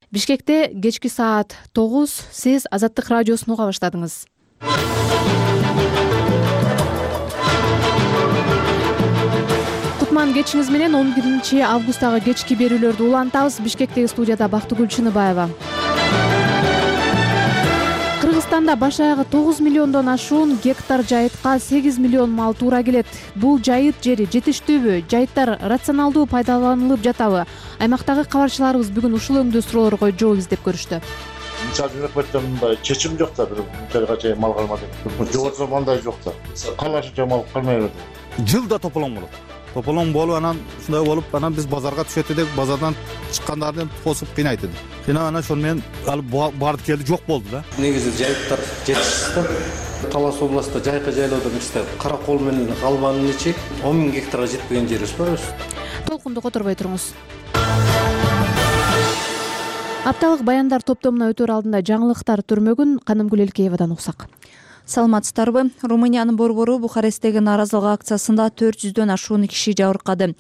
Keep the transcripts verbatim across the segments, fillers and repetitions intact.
Бишкекте кечки саат тогуз сиз Азаттык радиосун уга баштадыңыз. Кутман кечиңиз менен он биринчи августтагы кечки берүүлөрдү улантабыз. Бишкектеги студияда Бактыгүл Чыныбаева. Кыргызстанда баш аягы тогуз миллиондон ашуун гектар жайытка сегиз миллион мал туура келет. Бул жайыт жери жетиштүүбү, жайыттар рационалдуу пайдаланылып жатабы? Аймактагы кабарчыларыбыз бүгүн ушул өңдүү суроолорго жооп издеп көрүштү. Мисалы үкмөттөн мындай чечим жок да, бир мынчага чейин мал калмады. Жогорусу мындай жок да. Калашынча мал калмай берди. Жылда тополоң болот. Тополоң болуп, анан ушундай болуп, анан биз базарга түшөт элек, базардан чыккандарын тосуп кыйнайт эди. Кыйнап анан ошону менен алып барды келди, жок болду да. Негизи жайыттар жетишсиз да. Талас областта жайкы жайлоодо бизде кара кол менен албанын ичи он миң гектарга жетпеген жерибиз бар. Толкунду которбой туруңуз. Апталык баяндар топтомуна өтөр алдында жаңылыктар түрмөгүн Канымгүл Элкеевадан уксак. Саламатсыздарбы? Румыниянын борбору Бухаресттеги нааразылык акциясында төрт жүздөн ашуун киши жабыркады.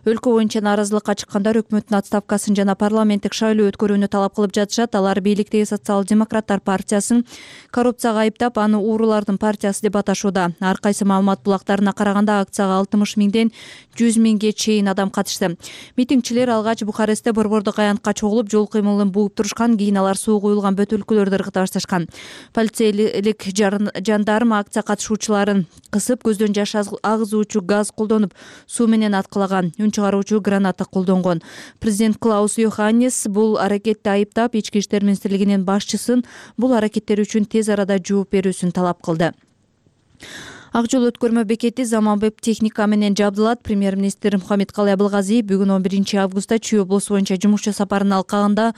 Өлкө боюнча нааразылыкка чыккандар өкмөттүн отставкасын жана парламенттик шайлоо өткөрүүнү талап кылып жатышат. Алар бийликтеги социал-демократтар партиясын коррупцияга айыптап, аны уурулардын партиясы деп аташууда. Ар кайсы маалымат булактарына караганда акцияга алтымыш миңден жүз миңге чейин адам катышты. Митингчилер алгач Бухарестте борбордук аянтка чогулуп, жол кыймылын бууп турушкан, кийин алар суу куюлган бөтөлкөлөрдү ыргыта башташкан. Полицейлик жандарм акция катышуучуларын кысып, көздөн жаш агызуучу газ колдонуп, суу менен аткылаган, үн чыгаруучу граната колдонгон. Президент Клаус Йоханнес бул аракетти айыптап, Ички иштер министрлигинин башчысын бул аракеттер үчүн тез арада жооп берүүсүн талап кылды. Ак жол өткөрмө бекети заманбап техника менен жабдылат. Премьер-министр Мухаммедкалый Абылгазиев бүгүн он биринчи августта Чүй облусу боюнча жумушчу сапарын алкагында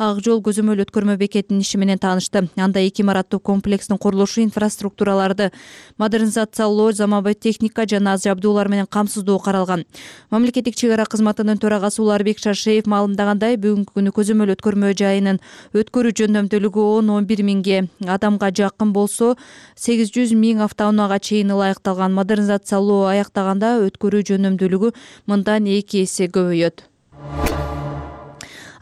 Ак жол көзөмөл өткөрмө бекетинин иши менен таанышты. Анда эки имараттуу комплекстин курулушу, инфраструктураларды модернизациялоо, заманбап техника жана аз жабдуулар менен камсыздоо каралган. Мамлекеттик чек ара кызматынын төрагасы Уларбек Шашеев маалымдагандай, бүгүнкү күнү көзөмөл өткөрмө жайынын өткөрүү жөндөмдүүлүгү он он бир миңге адамга жакын болсо, сегиз жүз миң автоунаага чейин ылайыкталган. Модернизациялоо аяктаганда өткөрүү жөнөмдүүлүгү мындан эки эсе көбөйөт.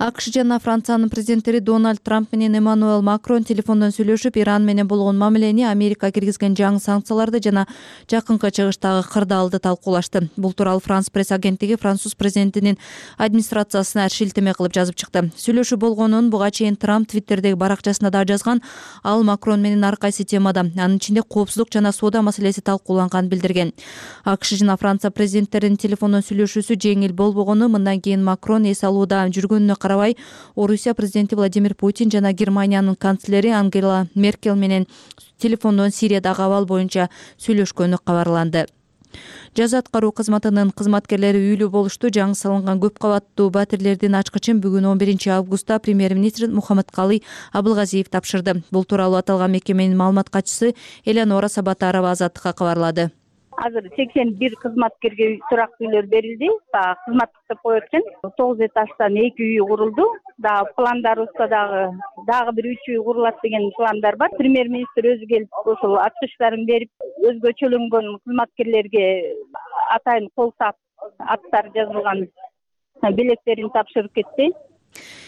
АКШ жана Франциянын президенттери Дональд Трамп менен Эммануэл Макрон телефондон сүйлөшүп, Иран менен болгон мамилени, Америка киргизген жаңы санкцияларды жана жакынкы чыгыштагы кырдаалды талкуулашты. Бул тууралуу Франс пресс агенттиги Француз президентинин администрациясына шилтеме кылып жазып чыкты. Сүйлөшүү болгонун буга чейин Трамп Твиттердеги баракчасында да жазган. Ал Макрон менен ар кайсы темада, анын ичинде коопсуздук жана соода маселеси талкууланганын билдирген. АКШ жана Франция президенттеринин телефондон сүйлөшүүсү жеңил болбогону, мындан кийин Макрон эс алууда жүргөнүнө карабай, Орусия президенти Владимир Путин жана Германиянын канцлери Ангела Меркель менен телефондон Сириядагы абал боюнча сүйлөшкөнү кабарланды. Жаза аткаруу кызматынын кызматкерлери үйлүү болушту. Жаңы салынган көп кабаттуу батирлердин ачкычын бүгүн он биринчи августта премьер-министр Мухаммедкалый Абылгазиев тапшырды. Бул тууралуу аталган мекеменин маалымат катчысы Элеонора Сабатарова Азаттыкка кабарлады. Азыр сексен бир кызматкерге турактуу үйлөр берилди. Кызматтык деп коет экен. тогуз этаждан эки үй курулду. Да пландарыбызда дагы дагы бир үч үй курулат деген пландар бар. Премьер-министр өзү келип ошол ачкычтарын берип, өзгөчөлөнгөн кызматкерлерге атайын кол саат аттар жазылган белектерин тапшырып кетти.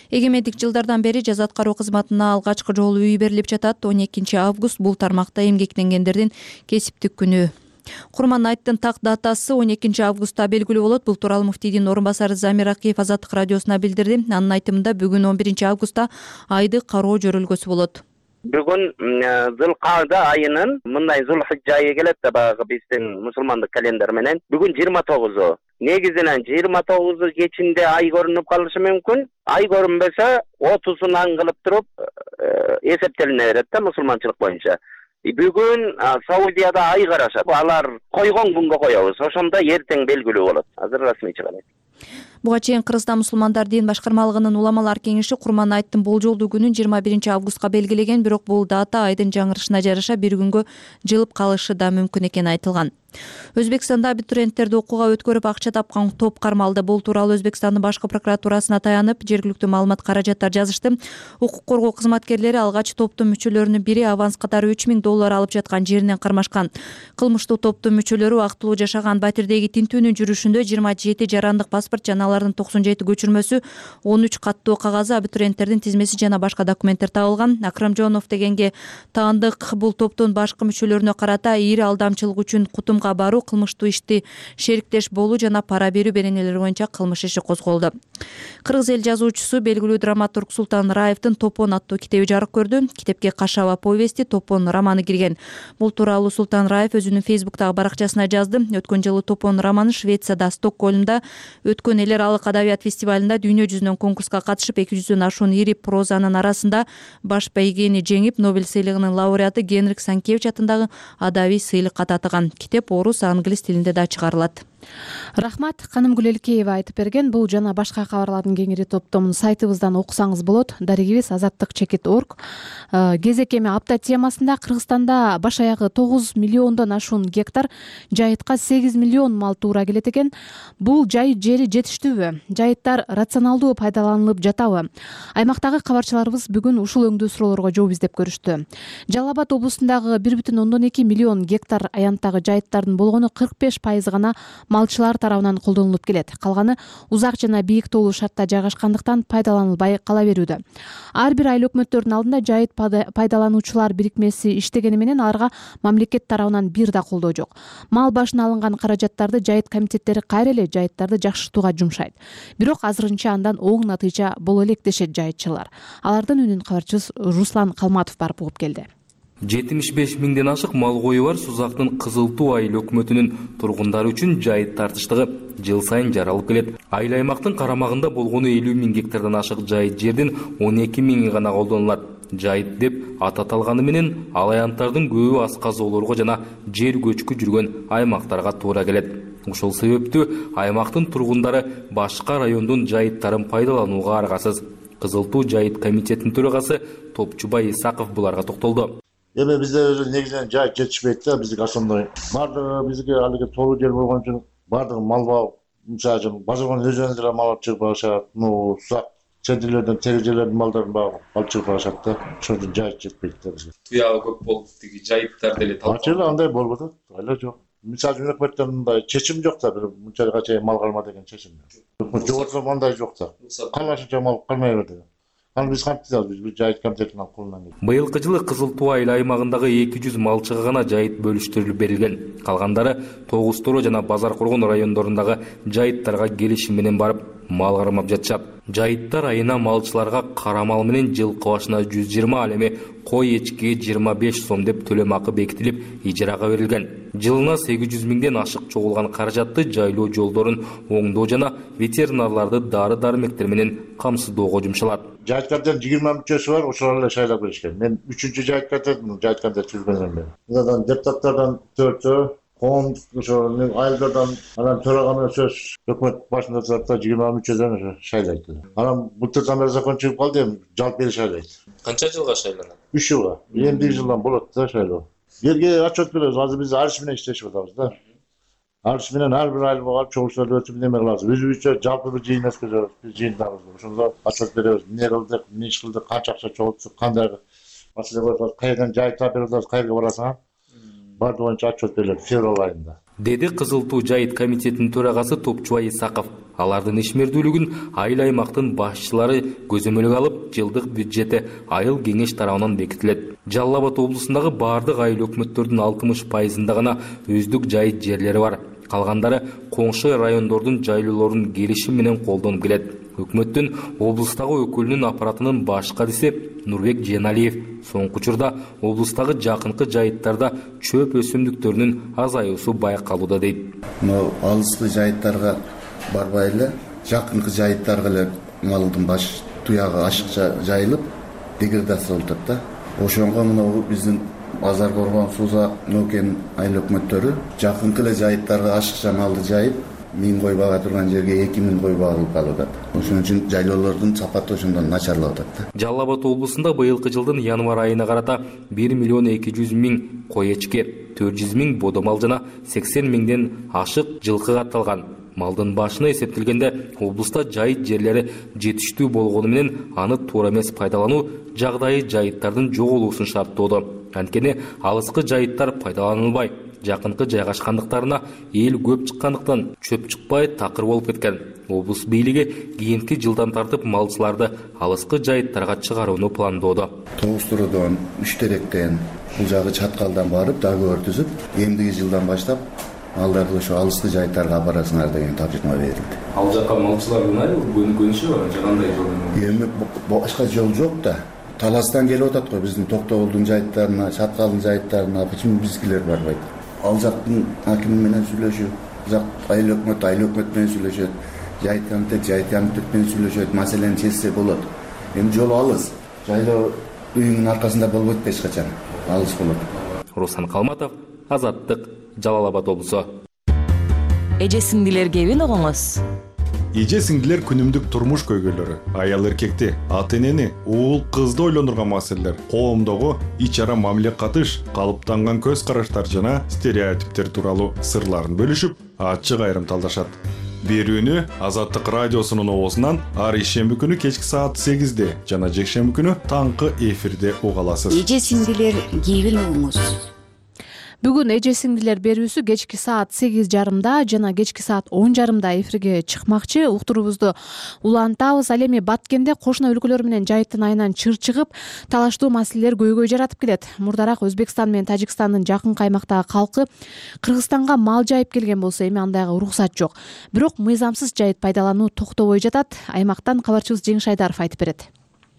Эгемендик жылдардан бери жаза аткаруу кызматына алгачкы жолу үй берилип жатат. он экинчи август бул тармакта эмгектенгендердин кесиптик күнү. Курман айттын так датасы он экинчи августта белгилүү болот. Бул тууралуу муфтийдин орун басары Замир Акиев Азаттык радиосуна билдирди. Анын айтымында бүгүн он биринчи августта айды кароо жөрөлгөсү болот. Бүгүн Зулкаада айынын мындай Зулхижжа айы келет да, баягы биздин мусулмандык календар менен. Бүгүн жыйырма тогузу. Негизинен жыйырма тогузу кечинде ай көрүнүп калышы мүмкүн. Ай көрүнбөсө отузунан кылып туруп эсептелине берет да мусулманчылык боюнча. Бүгүн Саудияда ай карашат. Алар койгон күнгө коебуз. Ошондо эртең белгилүү болот. Азыр расмий чыгат. Буга чейин Кыргызстан мусулмандар дин башкармалыгынын уламалар кеңеши Курман айттын болжолдуу күнүн жыйырма биринчи августка белгилеген, бирок бул дата айдын жаңырышына жараша бир күнгө жылып калышы да мүмкүн экени айтылган. Өзбекстанда абитуриенттерди окууга өткөрүп акча тапкан топ кармалды. Бул тууралуу Өзбекстандын башкы прокуратурасына таянып, жергиликтүү маалымат каражаттар жазышты. Укук коргоо кызматкерлери алгач топтун мүчөлөрүнүн бири аванс катары үч миң доллар алып жаткан жеринен кармашкан. Кылмыштуу топтун мүчөлөрү актылуу жашаган Батирдеги тинтүүнүн жүрүшүндө жыйырма жети жарандык паспорт жана алардын токсон жети көчүрмөсү, он үч каттуу кагазы, абитуриенттердин тизмеси жана башка документтер табылган. Акрамжонов дегенге таандык бул топтун башкы мүчөлөрүнө карата ири алдамчылык үчүн кутумга баруу, кылмыштуу ишти шериктеш болуу жана пара берүү беренелери боюнча кылмыш иши козголду. Кыргыз эл жазуучусу, белгилүү драматург Султан Раевдин Топон аттуу китеби жарык көрдү. Китепке Кашаба повести, Топон романы кирген. Бул тууралуу Султан Раев өзүнүн Фейсбуктагы баракчасына жазды. Өткөн жылы Топон романы Швецияда Стокгольмда өткөн эл аралык адабият фестивалында дүйнө жүзүнөн конкурска катышып, эки жүздөн ашуун ири прозанын арасында баш байгени жеңип, Нобель сыйлыгынын лауреаты Генрих Санкевич атындагы адабий сыйлыкка татыган. Китеп орус, англис тилинде да чыгарылат. Рахмат. Каным Гүлелкеева айтып берген. Бул жана башка кабарлардын кеңири топтомун сайтыбыздан окусаңыз болот. Дарегибиз азаттык чекит точка орг. Кезек эми апта темасында Кыргызстанда баш аягы тогуз миллиондон ашуун гектар жайытка сегиз миллион мал туура келет экен. Бул жайыт жери жетиштүүбү? Жайыттар рационалдуу пайдаланылып жатабы? Аймактагы кабарчыларыбыз бүгүн ушул өңдүү суроолорго жооп издеп көрүштү. Жалал Абад облусундагы бир бүтүн ондон эки миллион гектар аянттагы жайыттардын болгону кырк беш пайызы гана малчылар тарабынан колдонулуп келет. Калганы узак жана бийик тоолуу шартта жайгашкандыктан пайдаланылбай кала берүүдө. Ар бир айыл өкмөттөрдүн алдында жайыт пайдалануучулар бирикмеси иштегени менен аларга мамлекет тарабынан бир да колдоо жок. Мал башына алынган каражаттарды жайыт комитеттери кайра эле жайыттарды жакшыртууга жумшайт. Бирок азырынча андан оң натыйжа боло элек дешет жайытчылар. Алардын үнүн кабарчыбыз Руслан Калматов барып угуп келди. жетимиш беш миңден ашык мал кою бар Сузактын Кызыл Туу айыл өкмөтүнүн тургундары үчүн жайыт тартыштыгы жыл сайын жаралып келет. Айыл аймактын карамагында болгону элүү миң гектардан ашык жайыт жердин он эки миңи гана колдонулат. Жайыт деп ат аталганы менен ал аянттардын көбү асказоолорго жана жер көчкү жүргөн аймактарга туура келет. Ошол себептүү аймактын тургундары башка райондун жайыттарын пайдаланууга аргасыз. Кызыл Туу жайыт комитетинин төрагасы Топчубай Исаков буларга токтолду. Эми бизде негизинен жайыт жетишпейт да, бизге ошондой. Бардыгы бизге алиги тоолуу жер болгон үчүн бардыгы мал багып, мисалы үчүн базарган өзүнөн деле мал алып чыгып барышат. Ну, узак чедилерден, теги жерлердин малдарын багып алып чыгып барышат да. Ошон үчүн жайыт жетпейт да бизге. Туягы көп болуп тиги жайыттар деле талап. Ачыгы андай болбоду, эле жок. Мисалы үчүн өкмөттөн мындай чечим жок да, бир мынчалык чейин мал карма деген чечим. Жогорусу мындай жок да. Калашынча мал кармай берди. Ал биз кантип биз бир жайыт комитетинин колунан келди. Быйылкы жылы Кызыл Туу айыл аймагындагы эки жүз малчыга гана жайыт бөлүштүрүлүп берилген. Калгандары Тогуз Торо жана Базар Коргон райондорундагы жайыттарга келишим менен барып мал кармап жатышат. Жайыттар айына малчыларга кара мал менен жылкы башына жүз жыйырма, ал эми кой эчкиге жыйырма беш сом деп төлөм акы бекитилип, ижарага берилген. Жылына сегиз жүз миңден ашык чогулган каражатты жайлоо жолдорун оңдоо жана ветеринарларды дары-дармектер менен камсыздоого жумшалат. Жайыт комитетинин жыйырма мүчөсү бар, ошолор эле шайлап беришкен. Мен үчүнчү жайыт комитетинин жайыт комитет түзгөнмүн мен. Мындан депутаттардан төртөө, коом ошо айылдардан анан төрага менен сөз өкмөт башында турат жыйырма мүчөдөн ошо шайлайт. Анан былтырдан бери закон чыгып калды, эми жалп бери шайлайт. Канча жылга шайланат? үч жылга. Эмдиги жылдан болот да шайлоо. Жерге отчет беребиз. Азыр биз ариш менен иштешип атабыз да. Ариш менен ар бир айыл багып чогулуштарды өтүп неме кылабыз. Өзүбүзчө жалпы бир жыйын өткөзөбүз. Биз жыйындабыз. Ошондо отчет беребиз. Эмне кылдык, эмне иш кылдык, канча акча чогулттук, кандай маселе болуп, кайерден жайыт тапып беребиз, кайерге барасың? Бардыгы боюнча отчет берилет февраль айында. Деди Кызыл Туу жайыт комитетинин төрагасы Топчубай Исаков. Алардын ишмердүүлүгүн айыл аймактын башчылары көзөмөлгө алып, жылдык бюджети айыл кеңеш тарабынан бекитилет. Жалал Абад облусундагы бардык айыл өкмөттөрдүн алтымыш пайызында гана өздүк жайыт жерлери бар. Калгандары коңшу райондордун жайлоолорун келишим менен колдонуп келет. Өкмөттүн облустагы өкүлүнүн аппаратынын баш кадиси Нурбек Женалиев соңку учурда облустагы жакынкы жайыттарда чөп өсүмдүктөрүнүн азаюусу байкалууда дейт. Но алыскы жайыттарга барбай эле жакынкы жайыттарга эле малдын баш туягы ашыкча жайылып деградация болуп атат да. Ошонго мына биздин Базар Коргон, Сузак, Нокен айыл өкмөттөрү жакынкы эле жайыттарга ашыкча малды жайып, миң кой бага турган жерге эки миң кой багылып калып атат. Ошон үчүн жайлоолордун сапаты ошондон начарлап атат да. Жалал Абад облусунда быйылкы жылдын январь айына карата бир миллион эки жүз миң кой эчке, төрт жүз миң бодомал жана сексен миңден ашык жылкы катталган. Малдын башына эсептелгенде облуста жайыт жерлери жетиштүү болгону менен аны туура эмес пайдалануу жагдайы жайыттардын жоголуусун шарттоодо. Анткени алыскы жайыттар пайдаланылбай, жакынкы жайгашкандыктарына эл көп чыккандыктан чөп чыкпай такыр болуп кеткен. Облус бийлиги кийинки жылдан тартып малчыларды алыскы жайыттарга чыгарууну пландоодо. Тогуз туродон, үч теректен, бул жагы Чаткалдан барып договор түзүп, эмдиги жылдан баштап малдарды ошо алыскы жайыттарга апарасыңар деген тапшырма берилди. Ал жакка малчылар көнүшү бар, кандай жол? Эми башка жол жок да. Таластан келип атат го биздин Токтогулдун жайыттарына, Чаткалдын жайыттарына, почему бизгилер барбайт? Ал жактын акими менен сүйлөшүп, жак айыл өкмөт, айыл өкмөт менен сүйлөшөт, жайыт комитет, жайыт комитет менен сүйлөшөт, маселени чечсе болот. Эми жол алыс. Жайлоо үйүнүн аркасында болбойт эч качан. Алыс болот. Руслан Калматов, Азаттык, Жалал Абад облусу. Эже сиңдилер кебин огоңуз. Эже сиңдилер күнүмдүк турмуш көйгөйлөрү, аял эркекти, ата энени, уул кызды ойлондурган маселелер, коомдогу ич ара мамиле катыш, калыптанган көз караштар жана стереотиптер тууралуу сырларын бөлүшүп, ачык айрымталдашат. Берүүнү Азаттык радиосунун оозунан ар ишемби күнү кечки саат сегизде жана жекшемби күнү таңкы эфирде уга аласыз. Эже сиңдилер кебин огоңуз. Бүгүн эже сиңдилер берүүсү кечки саат сегиз жарымда жана кечки саат он жарымда эфирге чыкмакчы. Уктуруубузду улантабыз. Ал эми Баткенде кошуна өлкөлөр менен жайыттын айынан чыр чыгып, талаштуу маселелер көйгөй жаратып келет. Мурдараак Өзбекстан менен Тажикстандын жакын каймактагы калкы Кыргызстанга мал жайып келген болсо, эми андайга уруксат жок. Бирок мыйзамсыз жайыт пайдалануу токтобой жатат. Аймактан кабарчыбыз Жеңиш Айдаров айтып берет.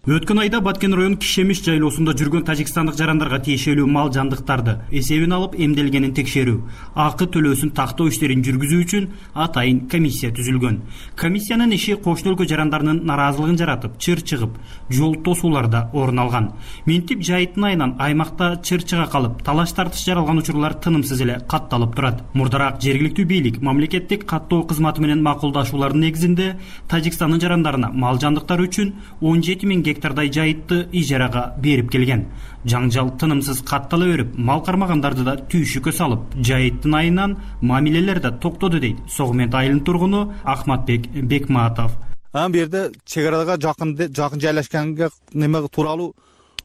Өткөн айда Баткен район Кишемиш жайлоосунда жүргөн тажикстандык жарандарга тиешелүү мал жандыктарды эсебин алып эмделгенин текшерүү, акы төлөөсүн тактоо иштерин жүргүзүү үчүн атайын комиссия түзүлгөн. Комиссиянын иши кошуна өлкө жарандарынын нараазылыгын жаратып, чыр чыгып, жол тосууларда орун алган. Минтип жайыттын айынан аймакта чыр чыга калып, талаш тартыш жаралган учурлар тынымсыз эле катталып турат. Мурдараак жергиликтүү бийлик мамлекеттик каттоо кызматы менен макулдашуулардын негизинде Тажикстандын жарандарына мал жандыктары үчүн он жети миң гектардай жайытты ижарага берип келген. Жаңжал тынымсыз каттала берип, мал кармагандарды да түйшүккө салып, жайыттын айынан мамилелер да токтоду дейт Согмент айылынын тургуну Ахматбек Бекматов. Ан берде чек арага жакын жакын жайлашканга неме тууралуу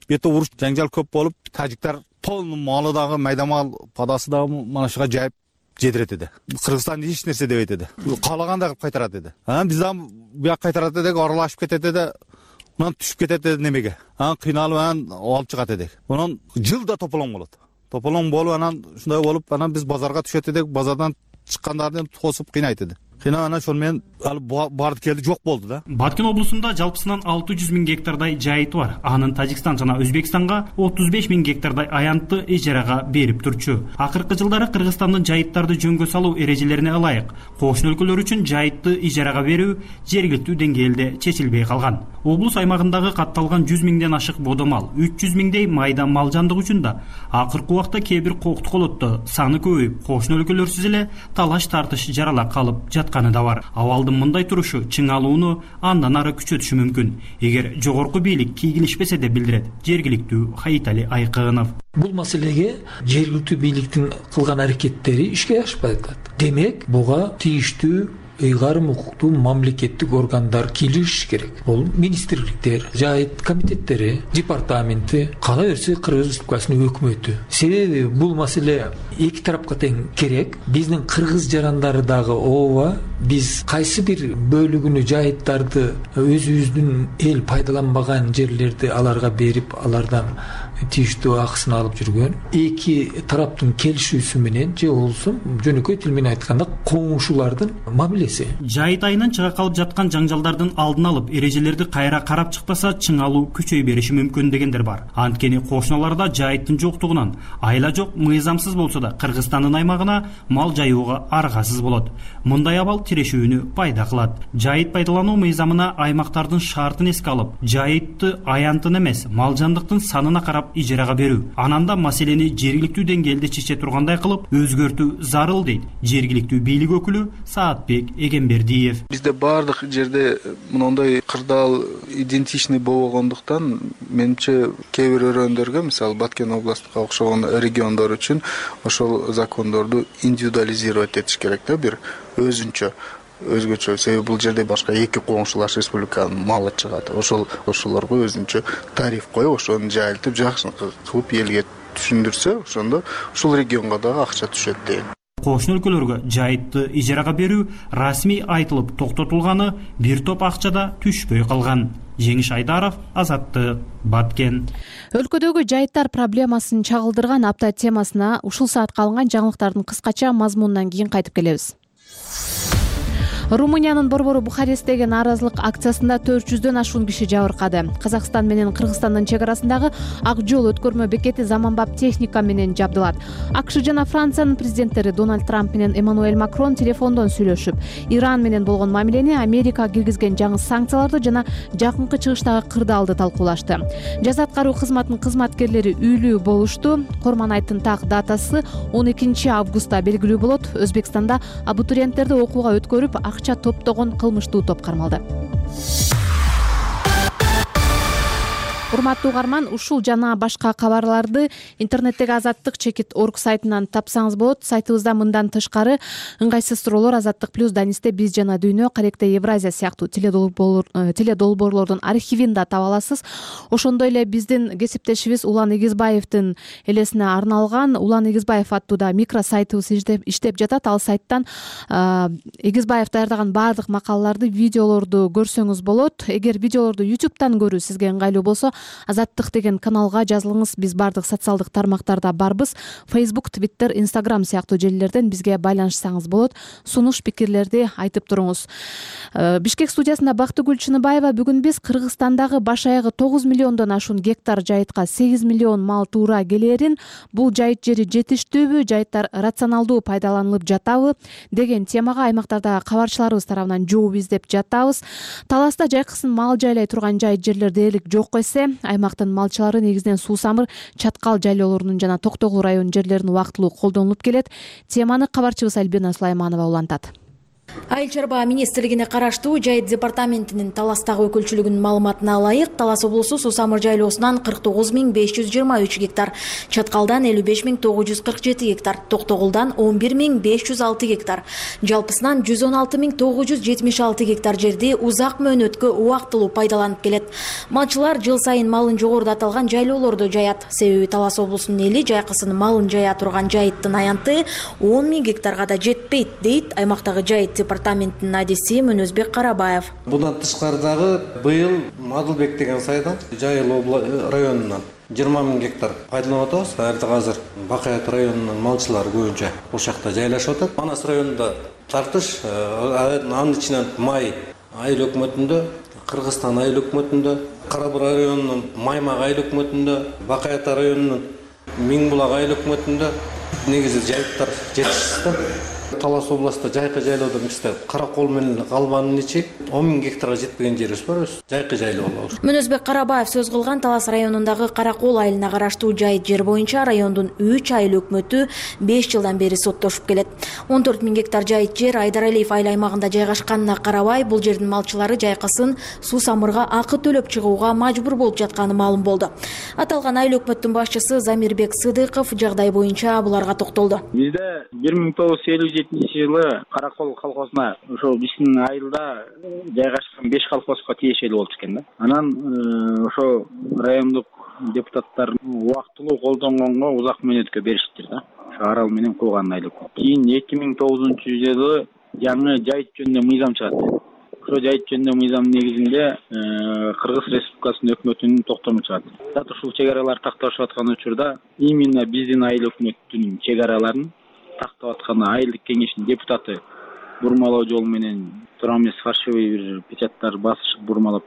бете уруш жаңжал көп болуп, тажиктар полный малы дагы майда мал падасы дагы мана шуга жайып жетирет эди. Кыргызстан эч нерсе дебейт эди. Каалагандай кылып кайтарат эди. Анан биз дагы буяк кайтарат эдик, аралашып кетет эди. Онан түшүп кетет эди немеге. Анан кыйналып анан алып чыгат эдик. Онан жылда тополоң болот. Тополоң болуп анан ушундай болуп, анан биз базарга түшөт эдик. Базардан чыккандарды тосуп кыйнайт эди. Кыйнап анан ошол менен ал барды келди жок болду да. Баткен облусунда жалпысынан алты жүз миң гектардай жайыт бар. Анын Тажикстан жана Өзбекстанга отуз беш миң гектардай аянтты ижарага берип турчу. Акыркы жылдары Кыргызстандын жайыттарды жөнгө салуу эрежелерине ылайык кошуна өлкөлөр үчүн жайытты ижарага берүү жергиликтүү деңгээлде чечилбей калган. Облус аймагындагы катталган жүз миңден ашык бодомал, үч жүз миңдей майда мал жандык үчүн да акыркы убакта кээ бир коктуколотто саны көбөйүп, кошуна өлкөлөрсүз эле талаш тартыш жарала калып жатканы да бар. Абалдын мындай турушу чыңалууну андан ары күчөтүшү мүмкүн, эгер жогорку бийлик кийгилишпесе деп билдирет жергиликтүү Хаитали Айкынов. Бул маселеге жергиликтүү бийликтин кылган аракеттери ишке ашпай атат. Демек, буга тийиштүү ыйгарым укуктуу мамлекеттик органдар киришиш керек. Бул министрликтер, жайыт комитеттери, департаменти, кала берсе Кыргыз Республикасынын өкмөтү. Себеби бул маселе эки тарапка тең керек. Биздин кыргыз жарандары дагы ооба, биз кайсы бир бөлүгүнү жайыттарды өзүбүздүн эл пайдаланбаган жерлерди аларга берип, алардан тийиштүү акысын алып жүргөн. Эки тараптын келишүүсү менен же болсо жөнөкөй тил менен айтканда коңушулардын мамилеси. Жайыт айынан чыга калып жаткан жаңжалдардын алдын алып, эрежелерди кайра карап чыкпаса, чыңалуу күчөй бериши мүмкүн дегендер бар. Анткени кошуналарда жайыттын жоктугунан айла жок, мыйзамсыз болсо да Кыргызстандын аймагына мал жайууга аргасыз болот. Мындай абал тирешүүнү пайда кылат. Жайыт пайдалануу мыйзамына аймактардын шартын эске алып, жайытты аянтын эмес, мал жандыктын санына карап ижарага берүү. Анан да маселени жергиликтүү деңгээлде чече тургандай кылып өзгөртүү зарыл дейт жергиликтүү бийлик өкүлү Саатбек Эгембердиев. Бизде баардык жерде мындай кырдаал идентичный болбогондуктан менимче кээ бир өрөөндөргө, мисалы Баткен областына окшогон региондор үчүн ошол закондорду индивидуализировать этиш керек да, бир өзүнчө өзгөчө. Себеби бул жерде башка эки коңшулаш республиканын малы чыгат. Ошол ошолорго өзүнчө тариф коюп, ошону жайылтып жакшы кылып элге түшүндүрсө, ошондо ушул регионго дагы акча түшөт дейм. Кошуна өлкөлөргө жайытты ижарага берүү расмий айтылып токтотулганы бир топ акчада түшпөй калган. Жеңиш Айдаров, Азаттык, Баткен. Өлкөдөгү жайыттар проблемасын чагылдырган апта темасына ушул саатка алынган жаңылыктардын кыскача мазмунунан кийин кайтып келебиз. Румыниянын борбору Бухаресттеги нааразылык акциясында төрт жүздөн ашуун киши жабыркады. Казакстан менен Кыргызстандын чек арасындагы Ак жол өткөрмө бекети заманбап техника менен жабдылат. АКШ жана Франциянын президенттери Дональд Трамп менен Эммануэль Макрон телефондон сүйлөшүп, Иран менен болгон мамилени, Америка киргизген жаңы санкцияларды жана жакынкы чыгыштагы кырдаалды талкуулашты. Жаза аткаруу кызматынын кызматкерлери үйлүү болушту. Корманайттын так датасы он экинчи августта белгилүү болот. Өзбекстанда абитуриенттерди окууга өткөрүп акча топтогон кылмыштуу топ кармалды. Урматтуу угарман, ушул жана башка кабарларды интернеттеги азаттык чекит точка орг сайтынан тапсаңыз болот. Сайтыбызда мындан тышкары ыңгайсыз суроолор, Азаттык плюс, Данисте биз жана дүйнө, Каректе Евразия сыяктуу теледолбоорлордун архивин да таба аласыз. Ошондой эле биздин кесиптешибиз Улан Эгизбаевдин элесине арналган Улан Эгизбаев аттуу да микро сайтыбыз иштеп жатат. Ал сайттан Эгизбаев даярдаган баардык макалаларды, видеолорду көрсөңүз болот. Эгер видеолорду ютубтан көрүү сизге ыңгайлуу болсо, Азаттык деген каналга жазылыңыз. Биз баардык социалдык тармактарда барбыз. Facebook, Twitter, Instagram сыяктуу желилерден бизге байланышсаңыз болот. Сунуш пикирлерди айтып туруңуз. Бишкек студиясында Бактыгүл Чыныбаева. Бүгүн биз Кыргызстандагы баш аягы тогуз миллиондон ашуун гектар жайытка сегиз миллион мал туура келерин, бул жайыт жери жетиштүүбү, жайыттар рационалдуу пайдаланылып жатабы деген темага аймактардагы кабарчыларыбыз тарабынан жооп издеп жатабыз. Таласта жайкысын мал жайлай турган жайыт жерлер дээрлик жок эсе, аймактын малчылары негизинен Суусамыр, Чаткал жайлоолорунун жана Токтогул районунун жерлерин убактылуу колдонулуп келет. Теманы кабарчыбыз Альбина Сулайманова улантат. Айыл чарба министрлигине караштуу Жайыт департаментинин Таластагы өкүлчүлүгүнүн маалыматына ылайык, Талас облусу Суусамыр жайлоосунан кырк тогуз миң беш жүз жыйырма үч гектар, Чаткалдан элүү беш миң тогуз жүз кырк жети гектар, Токтогулдан он бир миң беш жүз алты гектар, жалпысынан жүз он алты миң тогуз жүз жетимиш алты гектар жерди узак мөөнөткө убактылуу пайдаланып келет. Малчылар жыл сайын малын жогоруда аталган жайлоолордо жаят. Себеби Талас облусунун эли жайкысын малын жая турган жайыттын аянты он миң гектарга да жетпейт, дейт аймактагы Жайыт департаментинин адиси Мөнөзбек Карабаев. Bundan тышкары дагы быйыл Мадылбек деген сайдан Жайыл районунан жыйырма миң гектар пайдаланып атабыз. Азыр Бакаят районунун малчылары көбүнчө ошол жакта жайлашып атат. Манас районунда тартыш, анын ичинен Май айыл өкмөтүндө, Кыргызстан айыл өкмөтүндө, Кара Бура районунун Маймак айыл өкмөтүндө, Бакаят районунун Миң булак айыл өкмөтүндө негизи жайыттар жетишти. Талас областында жайкы жайлоодон бизде Каракол менен Калбанын ичи он миң гектарга жетпеген жерибиз бар. Жайкы жайлоо болобуз. Мөнөзбек Карабаев сөз кылган Талас районундагы Каракол айылына караштуу жайыт жер боюнча райондун үч айыл өкмөтү беш жылдан бери соттошуп келет. он төрт миң гектар жайыт жер Айдаралиев айыл аймагында жайгашканына карабай, бул жердин малчылары жайкысын Суусамырга акы төлөп чыгууга мажбур болуп жатканы маалым болду. Аталган айыл өкмөттүн башчысы Замирбек Сыдыков жагдай боюнча буларга токтолду. Бизде бир миң тогуз жүз элүү жетинчи жылы Каракол колхозуна ошол биздин айылда жайгашкан беш колхозго тиешелүү болчу экен да. Анан ошо райондук депутаттар убактылуу колдонгонго узак мөөнөткө бериштир да. Ошо арал менен кууган айыл. Кийин эки миң тогузунчу жылы жаңы жайыт жөнүндө мыйзам чыгат. Ошо жайыт жөнүндө мыйзамдын негизинде Кыргыз Республикасынын өкмөтүнүн токтому чыгат. Дат ушул чек аралар такташып аткан учурда именно биздин айыл өкмөтүнүн чек араларын тактап аткан айылдык кеңештин депутаты бурмалоо жолу менен тура эмес фальшивый бир печаттар басышып бурмалап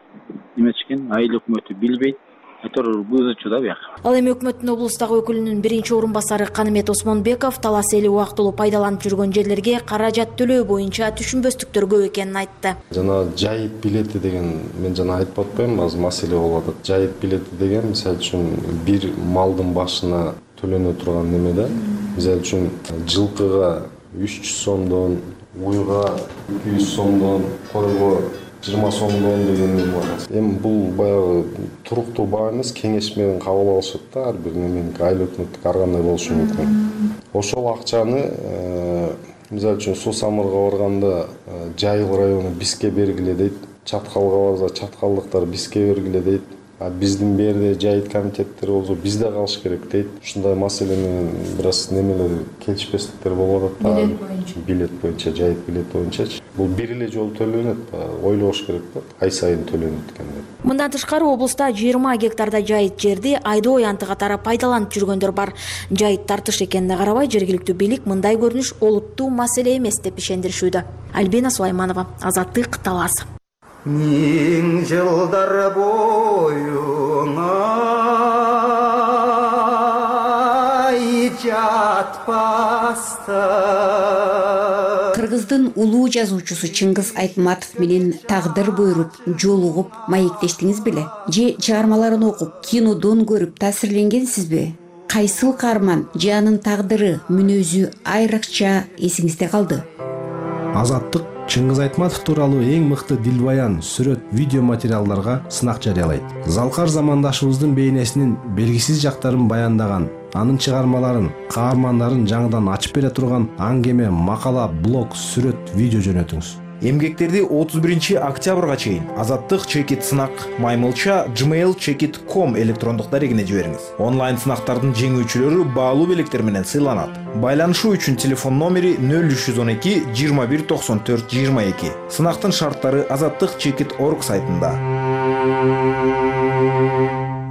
неметишкен. Айыл өкмөтү билбейт. айтор бузуучу да бияк. Ал эми өкмөттүн облустагы өкүлүнүн биринчи орун басары Канымет Осмонбеков талас эли убактылуу пайдаланып жүргөн жерлерге каражат төлөө боюнча түшүнбөстүктөр көп экенин айтты. Жана жайыт билети деген мен жана айтып атпаймынбы, азыр маселе болуп атат. Жайыт билети деген мисалы үчүн бир малдын башына төлөнө турган неме да. Мисалы үчүн жылкыга үч жүз сомдон, уйга эки жүз сомдон, койго жыйырма сомдон деген неме бар. Эми бул баягы туруктуу баа эмес, кеңеш менен кабыл алышат да, ар бир неменики айыл өкмөттүк ар кандай болушу мүмкүн. Ошол акчаны мисалы үчүн Суу Самырга барганда Жайыл району бизге бергиле дейт, Чаткалга барса чаткалдыктар бизге бергиле дейт. А биздин берде жайыт комитеттери болсо бизде калыш керек дейт. Ушундай маселе менен бир аз немелер келишпестиктер болуп атат да. Билет боюнча. Билет боюнча, жайыт билет боюнчачы. Бул бир эле жолу төлөнөт, ойлош керек да, ай сайын төлөнөт экен деп. Мындан тышкары облуста жыйырма гектарда жайыт жерди айдоо аянты катары пайдаланып жүргөндөр бар. Жайыт тартыш экенине карабай жергиликтүү бийлик мындай көрүнүш олуттуу маселе эмес деп ишендиришүүдө. Альбина Сулайманова, Азаттык, Талас. Миң жылдар бойуңа жатпаста. Кыргыздын улуу жазуучусу Чыңгыз Айтматов менен тагдыр буйруп, жолугуп, маектештиңиз беле? Же чыгармаларын окуп, кинодон көрүп таасирленгенсизби? Кайсыл каарман же анын тагдыры, мүнөзү айрыкча эсиңизде калды? Азаттык Чыңгыз Айтматов тууралуу эң мыкты дилбаян, сүрөт, видео материалдарга сынак жарыялайт. Залкар замандашыбыздын бейнесинин белгисиз жактарын баяндаган, анын чыгармаларын, каармандарын жаңыдан ачып бере турган аңгеме, макала, блог, сүрөт, видео жөнөтүңүз. Эмгектерди отуз биринчи октябрга чейин Азаттык чекит сынак маймылча gmail чекит точка ком электрондук дарегине жибериңиз. Онлайн сынактардын жеңүүчүлөрү баалуу белектер менен сыйланат. Байланышуу үчүн телефон номери нөл үч жүз он эки жыйырма бир токсон төрт жыйырма эки. Сынактын шарттары азаттык чекит точка орг сайтында.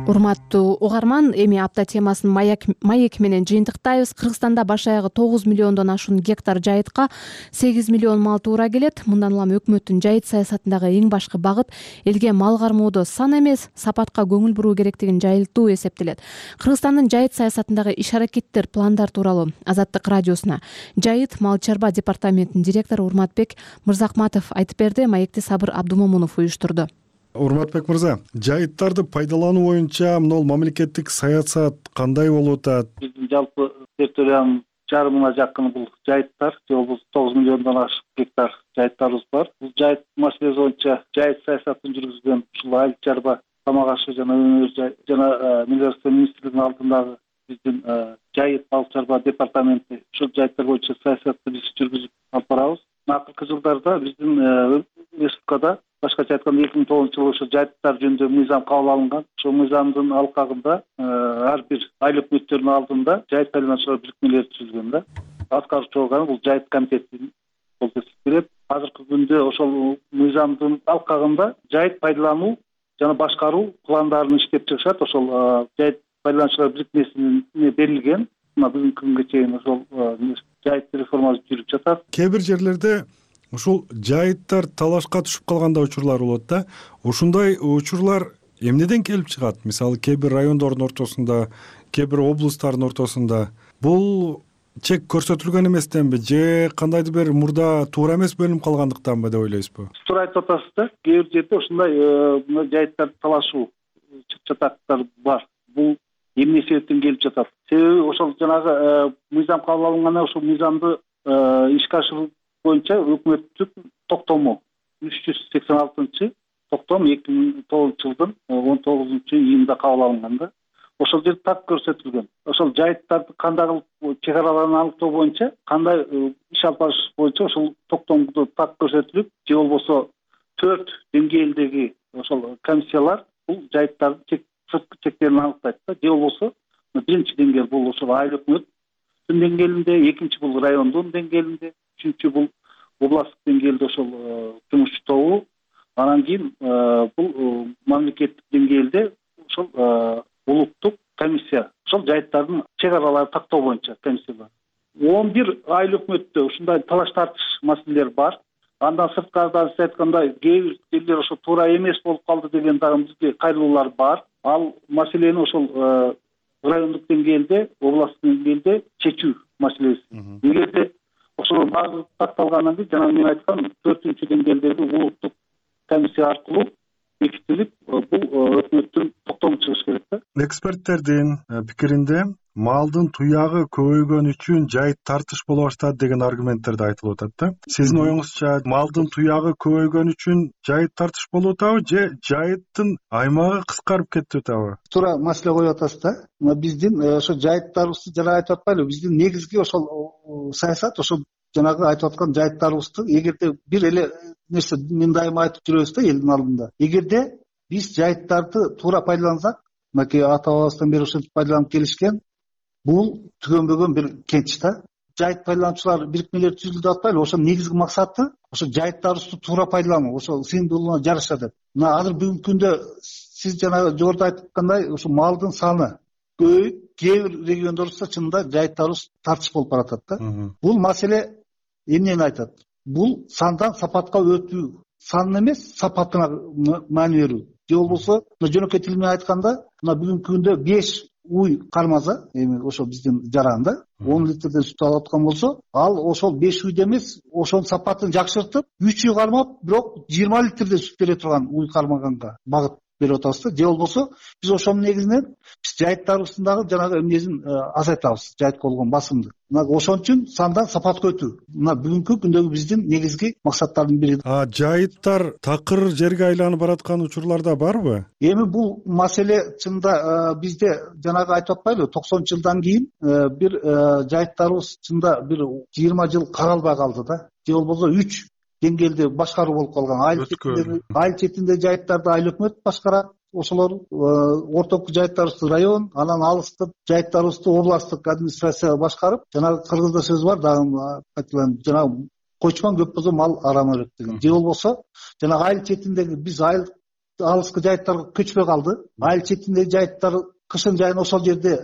Урматтуу угарман, эми апта темасын маяк, маек менен жыйынтыктайбыз. Кыргызстанда баш аягы тогуз миллиондон ашуун гектар жайытка сегиз миллион мал туура келет. Мындан улам өкмөттүн жайыт саясатындагы эң башкы багыт элге мал кармоодо сан эмес, сапатка көңүл буруу керектигин жайылтуу эсептелет. Кыргызстандын жайыт саясатындагы иш-аракеттер, пландар тууралуу Азаттык радиосуна жайыт мал чарба департаментинин директору Урматбек Мырзахматов айтып берди. Маекти Сабыр Абдумомунов уюштурду. Урматбек мырза, жайыттарды пайдалануу боюнча мынол мамлекеттик саясат кандай болуп атат? Биздин жалпы территориянын жарымына жакын бул жайыттар, же болбосо тогуз миллиондон ашык гектар жайыттарыбыз бар. Бул жайыт маселеси боюнча жайыт саясатын жүргүзгөн ушул айыл чарба, тамак ашы жана өнөр жана Министрлик министрлигинин алдындагы биздин жайыт мал чарба департаменти ушул жайыттар боюнча саясатты биз жүргүзүп алып барабыз. Акыркы жылдарда биздин республикада башкача айтканда эки миң тогузунчу жылы ошо жайыттар жөнүндө мыйзам кабыл алынган. Ошол мыйзамдын алкагында ар бир айыл өкмөттөрүнүн алдында жайыт пайдалануучулар бирикмелери түзүлгөн да. Аткаруучу орган бул жайыт комитети болуп эсептелет. Азыркы күндө ошол мыйзамдын алкагында жайыт пайдалануу жана башкаруу пландарын иштеп чыгышат. Ошол жайыт пайдалануучулар бирикмесине берилген. Мына бүгүнкү күнгө чейин ошол жайыт реформасы жүрүп жатат. Кээ бир жерлерде ушул жайыттар талашка түшүп калгандай учурлар болот да. Ушундай учурлар эмнеден келип чыгат? Мисалы, кээ бир райондордун ортосунда, кээ бир облустардын ортосунда бул чек көрсөтүлгөн эместенби же кандайдыр бир мурда туура эмес бөлүнүп калгандыктанбы деп ойлойсузбу? Туура айтып атасыз да. Кээ бир жерде ушундай жайыттарды талашуу чатактар бар. Бул эмне себептен келип жатат? Себеби ошол жанагы мыйзам кабыл алынгандан ошол мыйзамды ишке ашыруу боюнча өкмөттүк токтому үч жүз сексен алтынчы токтом эки миң тогузунчу жылдын он тогузунчу июнда кабыл алынган да. Ошол жерде так көрсөтүлгөн. Ошол жайыттарды кандай кылып чек араларын аныктоо боюнча, кандай иш алып барыш боюнча ошол токтомдо так көрсөтүлүп, же болбосо төрт деңгээлдеги ошол комиссиялар бул жайыттардын чек сырткы чектерин аныктайт да. Же болбосо биринчи деңгээл бул ошол айыл өкмөттүн деңгээлинде, экинчи бул райондун деңгээлинде, үчүнчү бул областтык деңгээлде ошол жумушчу тобу, анан кийин бул мамлекеттик деңгээлде ошол улуттук комиссия, ошол жайыттардын чек араларын тактоо боюнча комиссия бар. он бир айыл өкмөттө ушундай талаш тартыш маселелер бар. Андан сырткарыдан сиз айткандай кээ бир жерлер ошо туура эмес болуп калды деген дагы бизде кайрылуулар бар. ал маселени ошол райондук деңгээлде, областтык деңгээлде чечүү маселеси. Эгерде ошол баардыгы катталгандан кийин жана мен айткан төртүнчү деңгээлдеги улуттук комиссия аркылуу бекитилип, бул өкмөттүн токтому чыгыш керек да. Эксперттердин пикиринде малдын туягы көбөйгөн үчүн жайыт тартыш боло баштады деген аргументтер да айтылып атат да. Сиздин оюңузча малдын туягы көбөйгөн үчүн жайыт тартыш болуп атабы же жайыттын аймагы кыскарып кетип атабы? Туура маселе коюп атасыз да. Биздин ошо жайыттарыбызды жана айтып атпайлыбы, биздин негизги ошол саясат ошол жанагы айтып аткан жайыттарыбызды эгерде бир эле нерсе мен дайыма айтып жүрөбүз да элдин алдында. Эгерде биз жайыттарды туура пайдалансак, мынакей ата бабабыздан бери ошентип пайдаланып келишкен, бул түгөнбөгөн бир кенч да. Жайыт пайдалануучулар бирикмелери түзүлдү деп атпайлыбы? Ошонун негизги максаты ошо жайыттарыбызды туура пайдалануу, ошо сыйымдуулугуна жараша деп. Мына азыр бүгүнкү күндө сиз жана жогоруда айткандай ошо малдын саны көбөйүп, кээ бир региондорубузда чынында жайыттарыбыз тартыш болуп баратат да. Бул маселе эмнени айтат? Бул сандан сапатка өтүү, сан эмес, сапатына маани берүү. Же болбосо жөнөкөй тил менен айтканда, мына бүгүнкү күндө беш уй кармаза, эми ошо биздин жаранда он литрден сүт алып аткан болсо, ал ошол беш уйда эмес, ошонун сапатын жакшыртып, үч уй кармап, бирок жыйырма литрден сүт бере турган уй кармаганга багыт берип атабыз да. Же болбосо биз ошонун негизинен биз жайыттарыбыздын дагы жанагы эмнесин азайтабыз, жайытка болгон басымды. Мына ошон үчүн сандан сапатка өтүү. Мына бүгүнкү күндөгү биздин негизги максаттардын бири. А жайыттар такыр жерге айланып бараткан учурларда барбы? Эми бул маселе чында бизде жанагы айтып атпайлыбы, токсонунчу жылдан кийин бир жайыттарыбыз чында бир жыйырма жыл каралбай калды да. Же болбосо үч деңгээлде башкаруу болуп калган. Айыл четинде, айыл четинде жайыттарды айыл өкмөт башкарат. Ошолор ортоку жайыттарыбызды район, анан алыстык жайыттарыбызды областтык администрация башкарып, жанагы кыргызда сөз бар дагы, айтылган жанагы койчуман көп болсо мал арам өрөт деген. Же болбосо жанагы айыл четиндеги биз айыл алыскы жайыттарга көчпөй калды. Айыл четиндеги жайыттар кышын жайын ошол жерде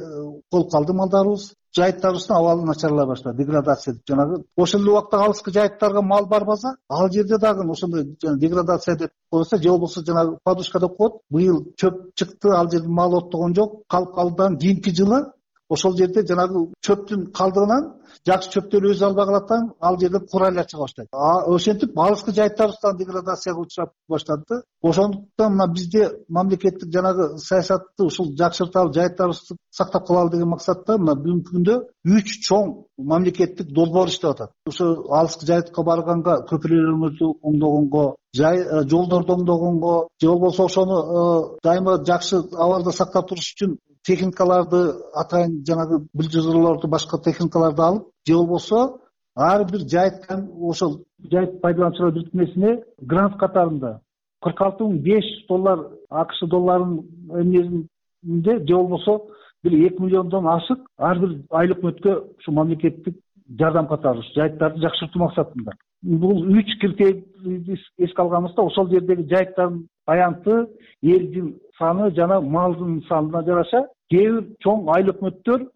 болуп калды малдарыбыз. Жайыттарыбыздын абалы начарлай баштады, деградация деп жанагы. Ошол эле убакта алыскы жайыттарга мал барбаса, ал жерде дагы ошондой деградация деп коюлса, же болбосо жанагы подушка деп коет. Быйыл чөп чыкты, ал жерде мал оттогон жок, калып калдан кийинки жылы ошол жерде жанагы чөптүн калдыгынан жакшы чөптөр өзү албай калаттан, ал жерде курайлар чыга баштайт. А ошентип алыскы жайыттарыбыздан деградацияга учурап баштады да. Ошондуктан мына бизде мамлекеттик жанагы саясатты ушул жакшырталы, жайыттарыбызды сактап калалы деген максатта мына бүгүнкү күндө үч чоң мамлекеттик долбоор иштеп атат. Ошо алыскы жайытка барганга көпүрөлөрүңүздү оңдогонго, жай жолдорду оңдогонго, же болбосо ошону дайыма жакшы абалда сактап туруш үчүн техникаларды, атайын жанагы бульдозерлорду, башка техникаларды алып, же болбосо ар бир жайыттан ошол жайыт пайдалануучулар бирикмесине грант катарында кырк алты миң беш жүз доллар АКШ долларынын эмнесинде, же болбосо бир эки миллиондон ашык ар бир айыл өкмөткө ушу мамлекеттик жардам катары жайыттарды жакшыртуу максатында. Бул үч критерийди эске алганыбызда ошол жердеги жайыттардын аянты, элдин саны жана малдын санына жараша кээ бир чоң айыл өкмөттөр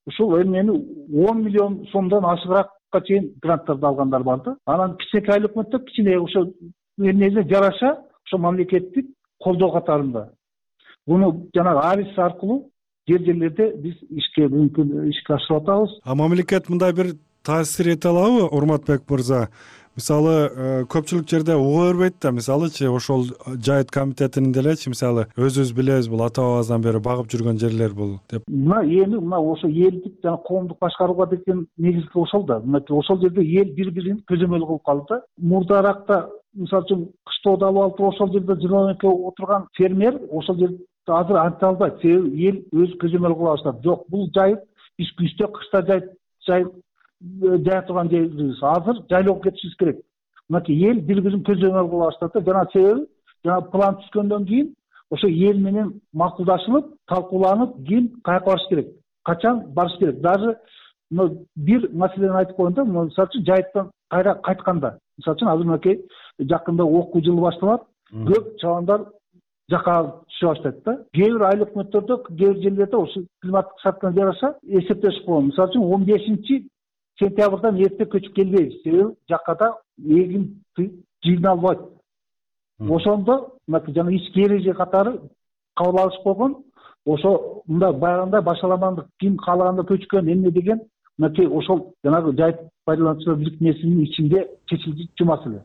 ушул эмнени он миллион сомдон ашыгыраакка чейин гранттарды алгандар бар да. Анан кичинекей айыл өкмөттөр кичине ошо эмнеге жараша ошо мамлекеттик колдоо катарында. Буну жанагы авис аркылуу жер жерлерде биз ишке мүмкүн ишке ашырып атабыз. А мамлекет мындай бир таасир эте алабы, Урматбек мырза? Мисалы көпчүлүк жерде уга бербейт да, мисалычы ошол жайыт комитетинин делечи, мисалы өзүбүз билебиз, бул ата бабабыздан бери багып жүргөн жерлер бул деп. Мына эми мына ошо элдик жана коомдук башкарууга деген негизги ошол да. Мына ошол жерде эл бири-бирин көзөмөл кылып калды да. Мурдаракта мисалы үчүн кыштоодо алып алып ошол жерде жыйырма эки отурган фермер ошол жерде азыр анта албайт. Себеби эл өз көзөмөл кыла баштады. Жок, бул жайыт биз күздө, кышта жайыт жайыт жая турган жерибиз. Азыр жайлоого кетишибиз керек. Мынакей эл бири-бирин көзөмөл кыла баштады. Жана себеби жана план түзгөндөн кийин ошо эл менен макулдашылып, талкууланып, ким каяка барыш керек, качан барыш керек. Даже бир маселени айтып коеюн да, мисалы үчүн жайыттан кайра кайтканда, мисалы үчүн азыр мынакей жакында окуу жылы башталат, көп чабандар жака түшө баштайт да. Кээ бир айыл өкмөттөрдө, кээ бир жерлерде ошо климаттык шарттарга жараша эсептешип койгон. Мисалы үчүн он бешинчи сентябрдан эрте көчүп келбейбиз. Себеби жакада эгин жыйналбайт. Ошондо жана ички эреже катары кабыл алышып койгон. Ошо мындай баягындай башаламандык ким каалаганда көчкөн эмне деген мынакей ошол жанагы жайыт пайдалануучулар бириктирмесинин ичинде чечилчү маселе.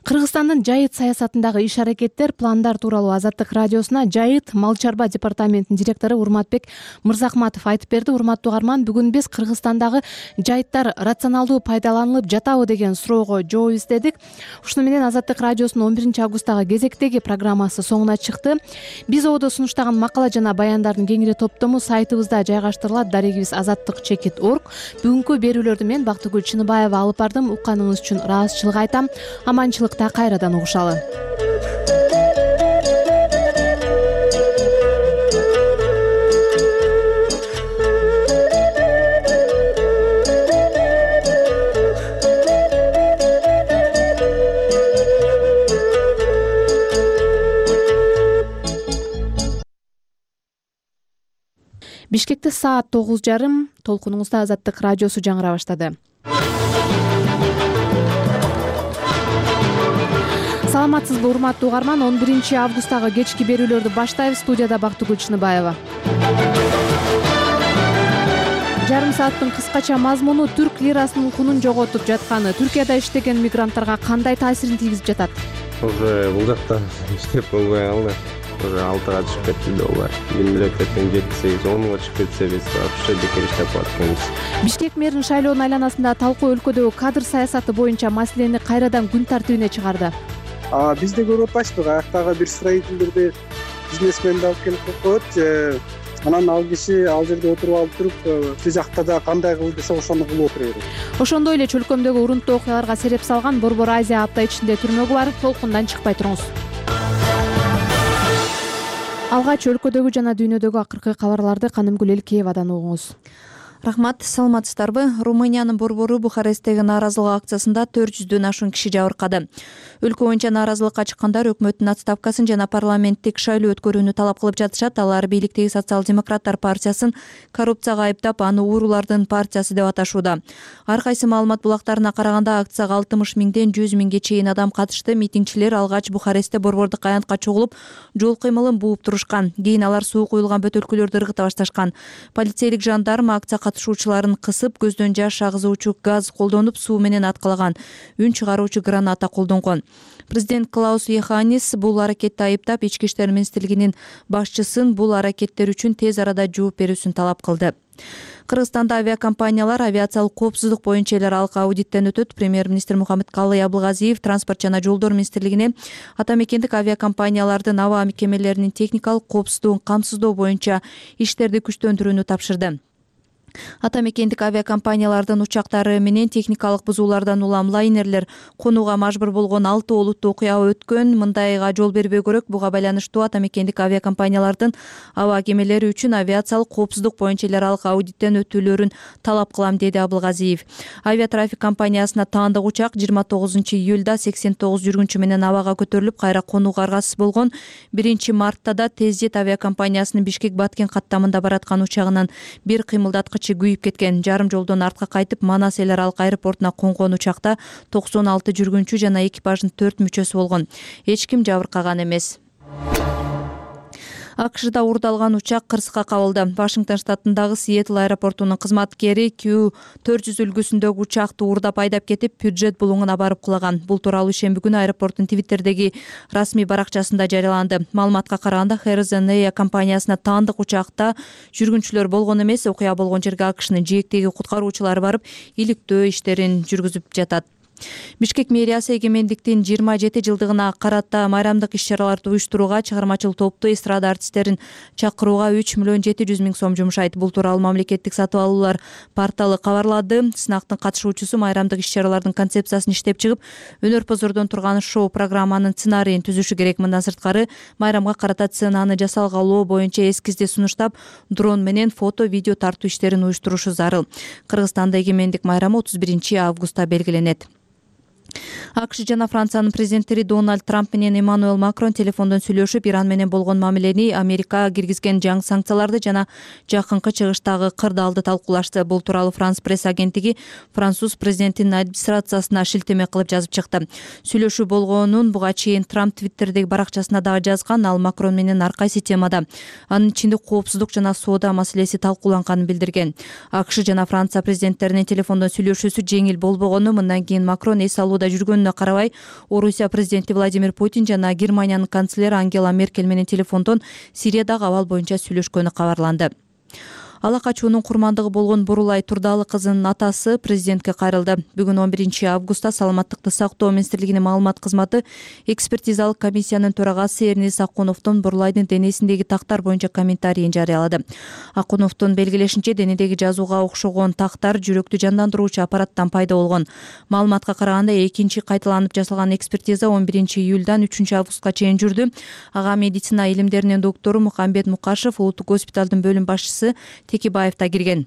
Кыргызстандын жайыт саясатындагы иш-аракеттер, пландар тууралуу Азаттык радиосуна жайыт мал чарба департаментинин директору Урматбек Мырзахматов айтып берди. Урматтуу угарман, бүгүн биз Кыргызстандагы жайыттар рационалдуу пайдаланылып жатабы деген суроого жооп издедик. Ушуну менен Азаттык радиосунун он биринчи августтагы кезектеги программасы соңуна чыкты. Биз ободо сунуштаган макала жана баяндардын кеңири топтому сайтыбызда жайгаштырылат. Дарегибиз азаттык чекит точка орг. Бүгүнкү берүүлөрдү мен Бактыгүл Чыныбаева алып бардым. Укканыңыз үчүн ыраазычылык айтам. Аманчылыкта кайрадан угушалы. Бишкекте саат тогуз жарым. Толкунуңузда Азаттык радиосу жаңыра баштады. Саламатсызбы, урматтуу угарман? он биринчи августтагы кечки берүүлөрдү баштайбыз. Студияда Бактыгүл Чыныбаева. Жарым сааттын кыскача мазмуну түрк лирасынын кунун жоготуп жатканы Түркияда иштеген мигранттарга кандай таасирин тийгизип жатат? Уже бул жакта иштеп болбой калды. Уже алтыга чыгып кетти доллар. Мемлекеттен жети сегиз онго чыгып кетсе биз вообще бекер иштеп атканбыз. Бишкек мэринин шайлоонун айланасында талкуу өлкөдөгү кадр саясаты боюнча маселени кайрадан күн тартибине чыгарды. Биз да көрүп атпайбызбы, аяктагы бир строительдерди бизнесменди алып келип коет же анан ал киши ал жерде отуруп алып туруп тил жакта да кандай кыл десе ошону кылып отура берет. Ошондой эле чөлкөмдөгү урунттуу окуяларга сереп салган Борбор Азия апта ичинде түрмөгү бар. Толкундан чыкпай туруңуз. Алгач өлкөдөгү жана дүйнөдөгү акыркы кабарларды Канымгүл Элкеевадан угуңуз. Рахмат, саламатсыздарбы? Румыниянын борбору Бухаресттеги нааразылык акциясында төрт жүздөн ашуун киши жабыркады. Өлкө боюнча нааразылыкка чыккандар өкмөттүн отставкасын жана парламенттик шайлоо өткөрүүнү талап кылып жатышат. Алар бийликтеги социал-демократтар партиясын коррупцияга айыптап, аны уурулардын партиясы деп аташууда. Ар кайсы маалымат булактарына караганда акцияга алтымыш миңден жүз миңге чейин адам катышты. Митингчилер алгач Бухарестте борбордук аянтка чогулуп, жол кыймылын бууп турушкан. Кийин алар суу куюлган бөтөлкөлөрдү ыргыта башташкан. Полицейлик жандарм акция катышуучуларын кысып, көздөн жаш агызуучу газ колдонуп, суу менен аткалаган. Үн чыгаруучу граната колдонгон. Президент Клаус Йоханнис бул аракетти айыптап, Ички иштер министрлигинин башчысын бул аракеттер үчүн тез арада жооп берүүсүн талап кылды. Кыргызстанда авиакомпаниялар авиациялык коопсуздук боюнча эл аралык аудиттен өтөт. Премьер-министр Мухаммедкалый Абылгазиев транспорт жана жолдор министрлигине ата мекендик авиакомпаниялардын аба мекемелеринин техникалык коопсуздугун камсыздоо боюнча иштерди күчтөндүрүүнү тапшырды. Ата мекендик авиакомпаниялардын учактары менен техникалык бузуулардан улам лайнерлер конууга мажбур болгон алты олуттуу окуя өткөн. Мындайга жол бербөө керек. Буга байланыштуу ата мекендик авиакомпаниялардын аба кемелери үчүн авиациялык коопсуздук боюнча эл аралык аудиттен өтүүлөрүн талап кылам, деди Абылгазиев. Авиатрафик компаниясына таандык учак жыйырма тогузунчу июлда сексен тогуз жүргүнчү менен абага көтөрүлүп, кайра конууга аргасыз болгон. биринчи мартта да Тездет авиакомпаниясынын Бишкек-Баткен каттамында бараткан учагынан бир кыймылдаткыч күйүп кеткен. Жарым жолдон артка кайтып, Манас эл аралык аэропортуна конгон учакта токсон алты жүргүнчү жана экипаждын төрт мүчөсү болгон. Эч ким жабыркаган эмес. АКШда уурдалган учак кырсыкка кабылды. Вашингтон штатындагы Сиэтл аэропортунун кызматкери Q төрт жүз үлгүсүндөгү учакты уурдап айдап кетип, Пюджет булуңуна барып кулаган. Бул тууралуу ишемби күнү аэропорттун Твиттердеги расмий баракчасында жарыяланды. Маалыматка караганда, Harrison Air компаниясына таандык учакта жүргүнчүлөр болгон эмес. Окуя болгон жерге АКШнын жээктеги куткаруучулары барып, иликтөө иштерин жүргүзүп жатат. Бишкек мэриясы эгемендиктин жыйырма жети жылдыгына карата майрамдык иш-чараларды уюштурууга, чыгармачыл топту, эстрада артисттерин чакырууга үч миллион жети жүз миң сом жумшайт. Бул тууралуу мамлекеттик сатып алуулар порталы кабарлады. Сынактын катышуучусу майрамдык иш-чаралардын концепциясын иштеп чыгып, өнөр-позордон турган шоу программанын сценарийин түзүшү керек. Мындан сырткары, майрамга карата сценаны жасалгалоо боюнча эскизди сунуштап, дрон менен фото, видео тартуу иштерин уюштурушу зарыл. Кыргызстанда эгемендик майрамы отуз биринчи августта белгиленет. АКШ жана Франциянын президенттери Дональд Трамп менен Эммануэл Макрон телефондон сүйлөшүп, Иран менен болгон мамилени, Америка киргизген жаңы санкцияларды жана жакынкы чыгыштагы кырдаалды талкуулашты. Бул тууралуу Франс пресс агенттиги француз президентинин администрациясына шилтеме кылып жазып чыкты. Сүйлөшүү болгонун буга чейин Трамп Твиттердеги баракчасына дагы жазган. Ал Макрон менен ар кайсы темада, анын ичинде коопсуздук жана соода маселеси талкууланганын билдирген. АКШ жана Франция президенттеринин телефондон сүйлөшүүсү жеңил болбогону, мындан кийин Макрон эс алууда жүргөнүнө карабай, Орусия президенти Владимир Путин жана Германиянын канцлери Ангела Меркель менен телефондон Сириядагы абал боюнча сүйлөшкөнү кабарланды. Ала качуунун курмандыгы болгон Бурулай Турдалы кызынын атасы президентке кайрылды. Бүгүн он биринчи августта Саламаттыкты сактоо министрлигинин маалымат кызматы экспертизалык комиссиянын төрагасы Эрнис Акуновдун Бурулайдын денесиндеги тактар боюнча комментарийин жарыялады. Акуновдун белгилешинче, денедеги жазууга окшогон тактар жүрөктү жандандыруучу аппараттан пайда болгон. Маалыматка караганда, экинчи кайталанып жасалган экспертиза он биринчи июлдан үчүнчү августка чейин жүрдү. Ага медицина илимдеринин доктору Мухамбет Мукашев, улуттук госпиталдын бөлүм башчысы Текибаев да кирген.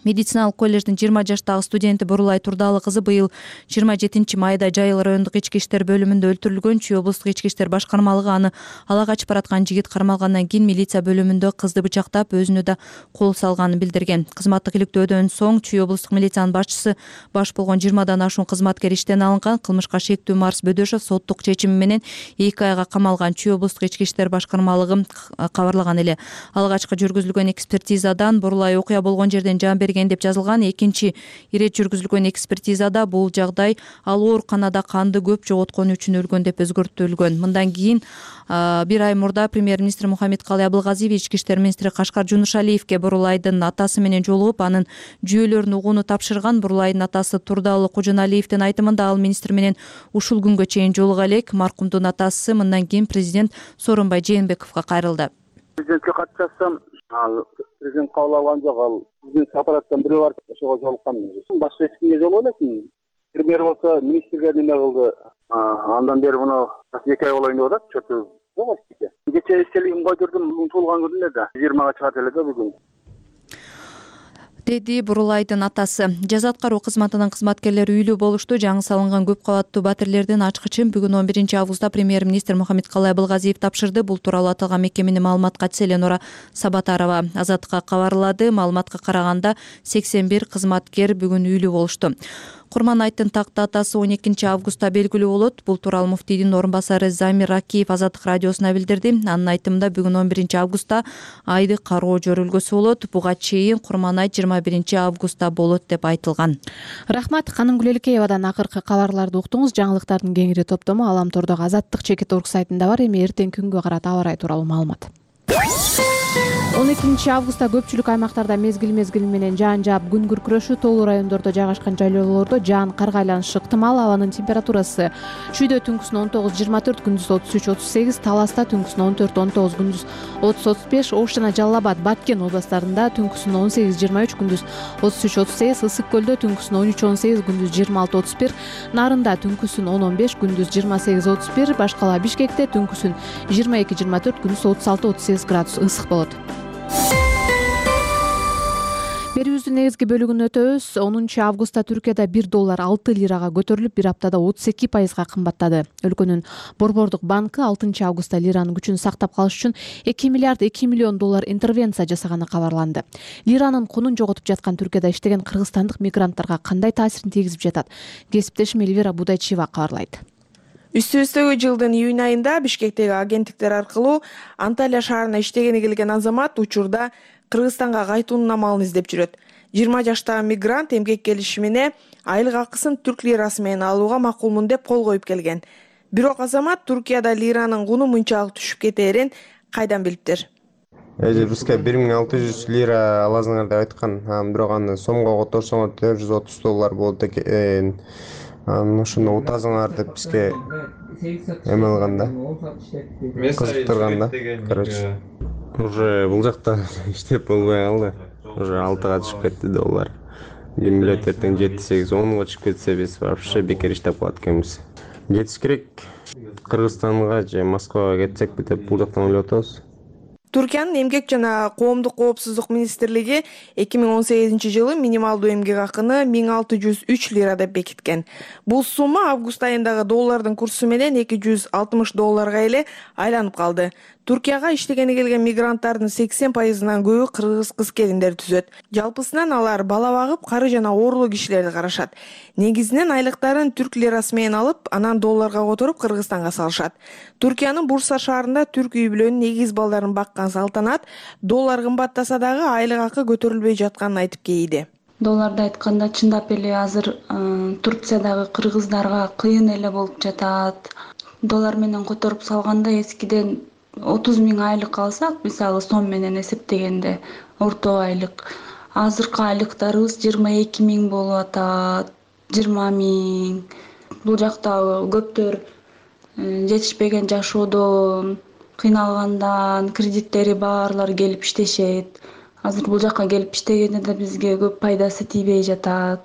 Медициналык коллеждин жыйырма жаштагы студенти Бурулай Турдалы кызы быйыл жыйырма жетинчи майда Жайыл райондук ички иштер бөлүмүндө өлтүрүлгөн. Чүй облустук ички иштер башкармалыгы аны ала качып бараткан жигит кармалгандан кийин милиция бөлүмүндө кызды бычактап, өзүнө да кол салганын билдирген. Кызматтык иликтөөдөн соң Чүй облустук милициянын башчысы баш болгон жыйырмадан ашуун кызматкер иштен алынган. Кылмышка шектүү Марс Бөдөшов соттук чечими менен эки айга камалган. Чүй облустук ички иштер башкармалыгы кабарлаган эле. Алгачкы жүргүзүлгөн экспертизадан Бурулай окуя болгон жерден жан берген деп жазылган. Экинчи ирет жүргүзүлгөн экспертизада бул жагдай ал ооруканада канды көп жоготкону үчүн өлгөн деп өзгөртүлгөн. Мындан кийин бир ай мурда премьер-министр Мухаммедкалый Абылгазиев ички иштер министри Кашкар Жунушалиевке Бурулайдын атасы менен жолугуп, анын жүйөлөрүн угууну тапшырган. Бурулайдын атасы Турдалы Кожоналиевдин айтымында, ал министр менен ушул күнгө чейин жолуга элек. Маркумдун атасы мындан кийин президент Сооронбай Жээнбековго кайрылды. Президентке кат жазсам, ал президент кабыл алган жок. Ал биздин аппараттан бирөө барып ошого жолуккан. Башка эч кимге жолугу элек. Премьер болсо министрге неме кылды. Андан бери муну эки ай болоюн деп атат. Чөтү жок эчке. Кече эстелигин койдурдум. Бүгүн туулган күнү эле да. жыйырмага чыгат эле да бүгүн, деди Бурулайдын атасы. Жаза аткаруу кызматынын кызматкерлери үйлүү болушту. Жаңы салынган көп кабаттуу батирлердин ачкычын бүгүн он биринчи августта премьер-министр Мухаммедкалый Абылгазиев тапшырды. Бул тууралуу аталган мекеменин маалымат катчысы Эленора Сабатарова Азаттыкка кабарлады. Маалыматка караганда сексен бир кызматкер бүгүн үйлүү болушту. Курманайттын такты атасы он экинчи августта белгилүү болот. Бул тууралуу муфтийдин орун басары Замир Ракиев Азаттык радиосуна билдирди. Анын айтымында, бүгүн он биринчи августта айды кароо жөрүлгөсү болот. Буга чейин Курманайт жыйырма биринчи августта болот деп айтылган. Рахмат. Ханым Гүлөлкеевадан акыркы кабарларды уктуңуз. Жаңылыктардын кеңири топтому Аламтордогу Азаттык чекит орг сайтында бар. Эми эртеңки күнгө карата аба ырайы тууралуу маалымат. он экинчи августта көпчүлүк аймактарда мезгил-мезгил менен жаан жаап, күн күркүрөшү, тоолуу райондордо жайгашкан жайлоолордо жаан, кар айланышы ыктымал. Абанын температурасы Чүйдө түнкүсүн он тогуз жыйырма төрт, күндүз отуз үч отуз сегиз, Таласта түнкүсүн он төрт он тогуз, күндүз отуз отуз беш, Ош жана Жалал Абад, Баткен областарында түнкүсүн он сегиз жыйырма үч, күндүз отуз үч отуз сегиз, Ысык көлдө түнкүсүн он үч он сегиз, күндүз жыйырма алты отуз бир, Нарында түнкүсүн он он беш, күндүз жыйырма сегиз отуз бир, башкала Бишкекте түнкүсүн жыйырма эки жыйырма төрт, күндүз отуз алты отуз сегиз градус ысык болот. Берүүбүздүн негизги бөлүгүн өтөбүз. онунчу августта Түркияда бир доллар алты лирага көтөрүлүп, бир аптада отуз эки пайызга кымбаттады. Өлкөнүн Борбордук банкы алтынчы августта лиранын күчүн сактап калыш үчүн эки миллиард эки миллион доллар интервенция жасаганы кабарланды. Лиранын кунун жоготуп жаткан Түркияда иштеген кыргызстандык мигранттарга кандай таасирин тийгизип жатат? Кесиптешим Эльвира Будайчиева кабарлайт. Үстүбүздөгү жылдын июнь айында Бишкектеги агенттиктер аркылуу Анталия шаарына иштегени келген азамат учурда Кыргызстанга кайтуунун амалын издеп жүрөт. жыйырма жаштагы мигрант эмгек келишимине айлык акысын түрк лирасы менен алууга макулмун деп кол коюп келген. Бирок азамат Туркияда лиранын куну мынчалык түшүп кетээрин кайдан билиптир? Эже бизге бир миң алты жүз лира аласыңар деп айткан. Бирок аны сомго которсоңор төрт жүз отуз доллар болот экен. Анан ошону утасыңар деп бизге эме кылган да. Кызыктырган да. Короче, уже бул жакта иштеп болбой калды. Уже алтыга түшүп кетти доллар. Ким билет, эртең жети сегиз онго чыгып кетсе биз вообще бекер иштеп калат экенбиз. Кетиш керек. Кыргызстанга же Москвага кетсекпи деп бул жактан ойлоп атабыз. Түркиянын эмгек жана коомдук коопсуздук министрлиги эки миң он сегизинчи жылы минималдуу эмгек акыны миң алты жүз үч лира деп бекиткен. Бул сумма август айындагы доллардын курсу менен эки жүз алтымыш долларга эле айланып калды. Туркияга иштегени келген мигранттардын сексен пайызынан көбү кыргыз кыз-келиндер түзөт. Жалпысынан алар бала багып, кары жана оорлуу кишилерди карашат. Негизинен айлыктарын түрк лирасы менен алып, анан долларга которуп Кыргызстанга салышат. Туркиянын Бурса шаарында түрк үй бүлөнүн эгиз балдарын баккан Салтанат доллар кымбаттаса дагы айлык акы көтөрүлбөй жатканын айтып кейиди. Долларды айтканда чындап эле азыр Турциядагы кыргыздарга кыйын эле болуп жатат. Доллар менен которуп салганда эскиден отуз миң айлык алсак, мисалы сом менен эсептегенде орто айлык, азыркы айлыктарыбыз жыйырма эки миң болуп атат, жыйырма миң. Бул жакта көптөр жетишпеген жашоодон, кыйналгандан, кредиттери баарлары келип иштешет. Азыр бул жакка келип иштегенде да бизге көп пайдасы тийбей жатат.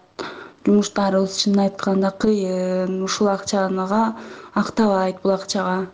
Жумуштарыбыз чынын айтканда кыйын, ушул акчага актабайт бул акчага.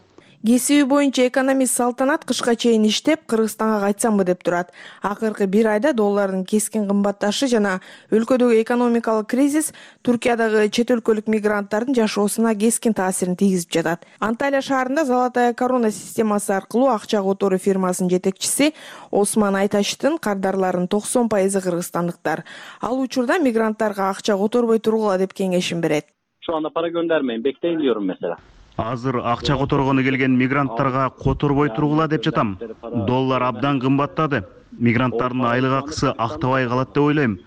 Кесиби боюнча экономист Салтанат кышка чейин иштеп, Кыргызстанга кайтсамбы деп турат. Акыркы бир айда доллардын кескин кымбатташы жана өлкөдөгү экономикалык кризис Туркиядагы чет өлкөлүк мигранттардын жашоосуна кескин таасирин тийгизип жатат. Анталия шаарында Золотая корона системасы аркылуу акча которуу фирмасынын жетекчиси Осман Айташтын кардарларынын токсон пайызы кыргызстандыктар. Ал учурда мигранттарга акча которбой тургула деп кеңешин берет. Şu anda para göndermeyin, bekleyin diyorum mesela. Азыр акча которгону келген мигранттарга которбой тургула деп жатам. Доллар абдан кымбаттады. Мигранттардын айлык акысы актабай калат деп ойлойм.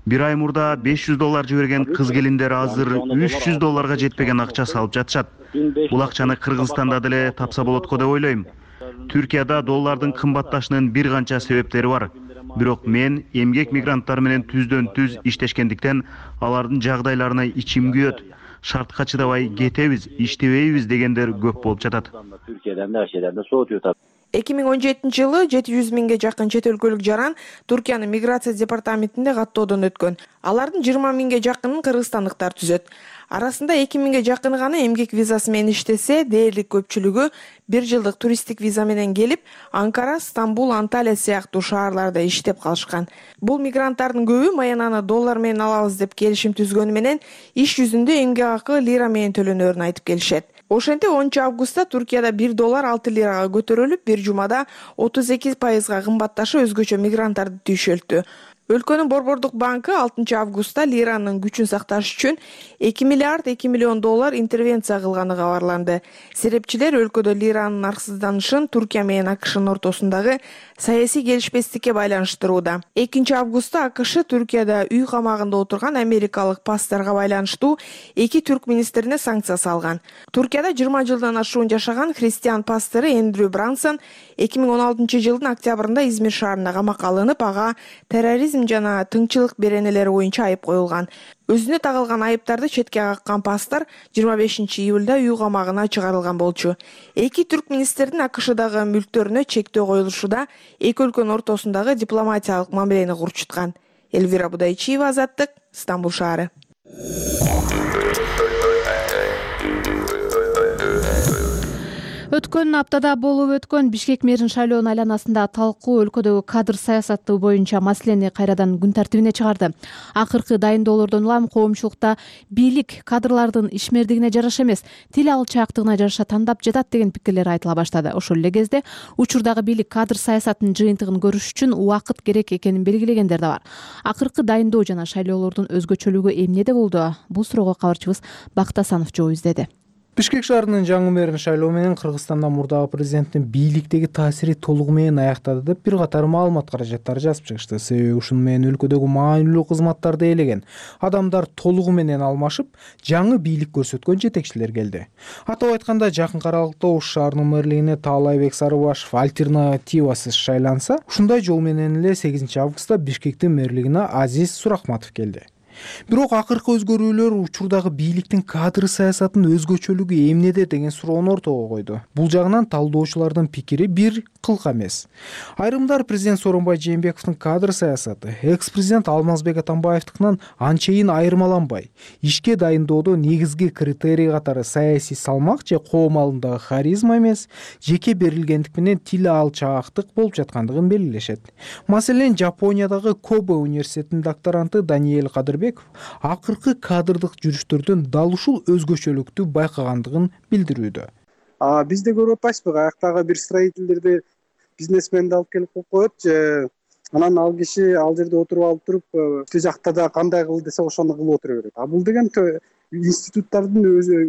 Бир ай мурда беш жүз доллар жиберген кыз-келиндер азыр үч жүз долларга жетпеген акча салып жатышат. Бул акчаны Кыргызстанда деле тапса болот го деп ойлойм. Түркияда доллардын кымбатташынын бир канча себептери бар. Бирок мен эмгек мигранттар менен түздөн түз иштешкендиктен алардын жагдайларына ичим күйөт. Шартка чыдабай кетебиз, иштебейбиз дегендер көп болуп жатат. Türkiye'den de her şeyden de soğutuyor tabii. эки миң он жетинчи жылы жети жүз миңге жакын чет өлкөлүк жаран Туркиянын миграция департаментинде каттоодон өткөн. Алардын жыйырма миңге жакынын кыргызстандыктар түзөт. Арасында эки миңге жакыны гана эмгек визасы менен иштесе, дээрлик көпчүлүгү бир жылдык туристтик виза менен келип, Анкара, Стамбул, Анталия сыяктуу шаарларда иштеп калышкан. Бул мигранттардын көбү маянаны доллар менен алабыз деп келишим түзгөнү менен иш жүзүндө эмгек акы лира менен төлөнөрүн айтып келишет. Ошентип онунчу августта Туркияда бир доллар алты лирага көтөрүлүп, бир жумада отуз эки пайызга кымбатташы өзгөчө мигранттарды түйшөлтү. Өлкөнүн Борбордук банкы алтынчы августта лиранын күчүн сакташ үчүн эки миллиард эки миллион доллар интервенция кылганы кабарланды. Серепчилер өлкөдө лиранын нарксызданышын Туркия менен АКШнын ортосундагы саясий келишпестикке байланыштырууда. экинчи августта АКШ Түркияда үй камагында отурган америкалык пасторго байланыштуу эки түрк министрине санкция салган. Туркияда жыйырма жылдан ашуун жашаган христиан пастору Эндрю Брансон эки миң он алтынчы жылдын октябрында Измир шаарында камакка алынып, ага терроризм жана тыңчылык беренелери боюнча айып коюлган. Өзүнө тагылган айыптарды четке каккан пастор жыйырма бешинчи июлда үй камагына чыгарылган болчу. Эки түрк министрдин АКШдагы мүлктөрүнө чектөө коюлушуда эки өлкөнүн ортосундагы дипломатиялык мамилени курчуткан. Элвира Будайчиева, Азаттык, Стамбул шаары. Өткөн аптада болуп өткөн Бишкек мэрин шайлоонун айланасында талкуу өлкөдөгү кадр саясаты боюнча маселени кайрадан күн тартибине чыгарды. Акыркы дайындоолордон улам коомчулукта бийлик кадрлардын ишмердигине жараша эмес, тил алчаактыгына жараша тандап жатат деген пикирлер айтыла баштады. Ошол эле кезде учурдагы бийлик кадр саясатынын жыйынтыгын көрүш үчүн убакыт керек экенин белгилегендер да бар. Акыркы дайындоо жана шайлоолордун өзгөчөлүгү эмнеде болду? Бул суроого кабарчыбыз Бакыт Асанов жооп издеди. Бишкек шаарынын жаңы мэрин шайлоо менен Кыргызстанда мурдагы президенттин бийликтеги таасири толугу менен аяктады деп бир катар маалымат каражаттары жазып чыгышты. Себеби ушуну менен өлкөдөгү маанилүү кызматтарды ээлеген адамдар толугу менен алмашып, жаңы бийлик көрсөткөн жетекчилер келди. Атап айтканда, жакынкы аралыкта Ош шаарынын мэрлигине Таалайбек Сарыбашев альтернативасыз шайланса, ушундай жол менен эле сегизинчи августта Бишкектин мэрлигине Азиз Сурахматов келди. бирок акыркы өзгөрүүлөр учурдагы бийликтин кадр саясатынын өзгөчөлүгү эмнеде деген суроону ортого койду. Бул жагынан талдоочулардын пикири бир кылка эмес. Айрымдар президент Сооронбай Жээнбековдун кадр саясаты экс-президент Алмазбек Атамбаевдикинен анчейин айырмаланбай, ишке дайындоодо негизги критерий катары саясий салмак же коом алдындагы харизма эмес, жеке берилгендик менен тил алчаактык болуп жаткандыгын белгилешет. Маселен, Жапониядагы Кобе университетинин докторанты Даниэль Кадырбеков акыркы кадрдык жүрүштөрдөн дал ушул өзгөчөлүктү байкагандыгын билдирүүдө. Бизде көрүп атпайсызбы, аяктагы бир строительдерди бизнесменди алып келип коет же анан ал киши ал жерде отуруп алып туруп, тил жакта да кандай кыл десе ошону кылып отура берет. А бул деген институттардын өзү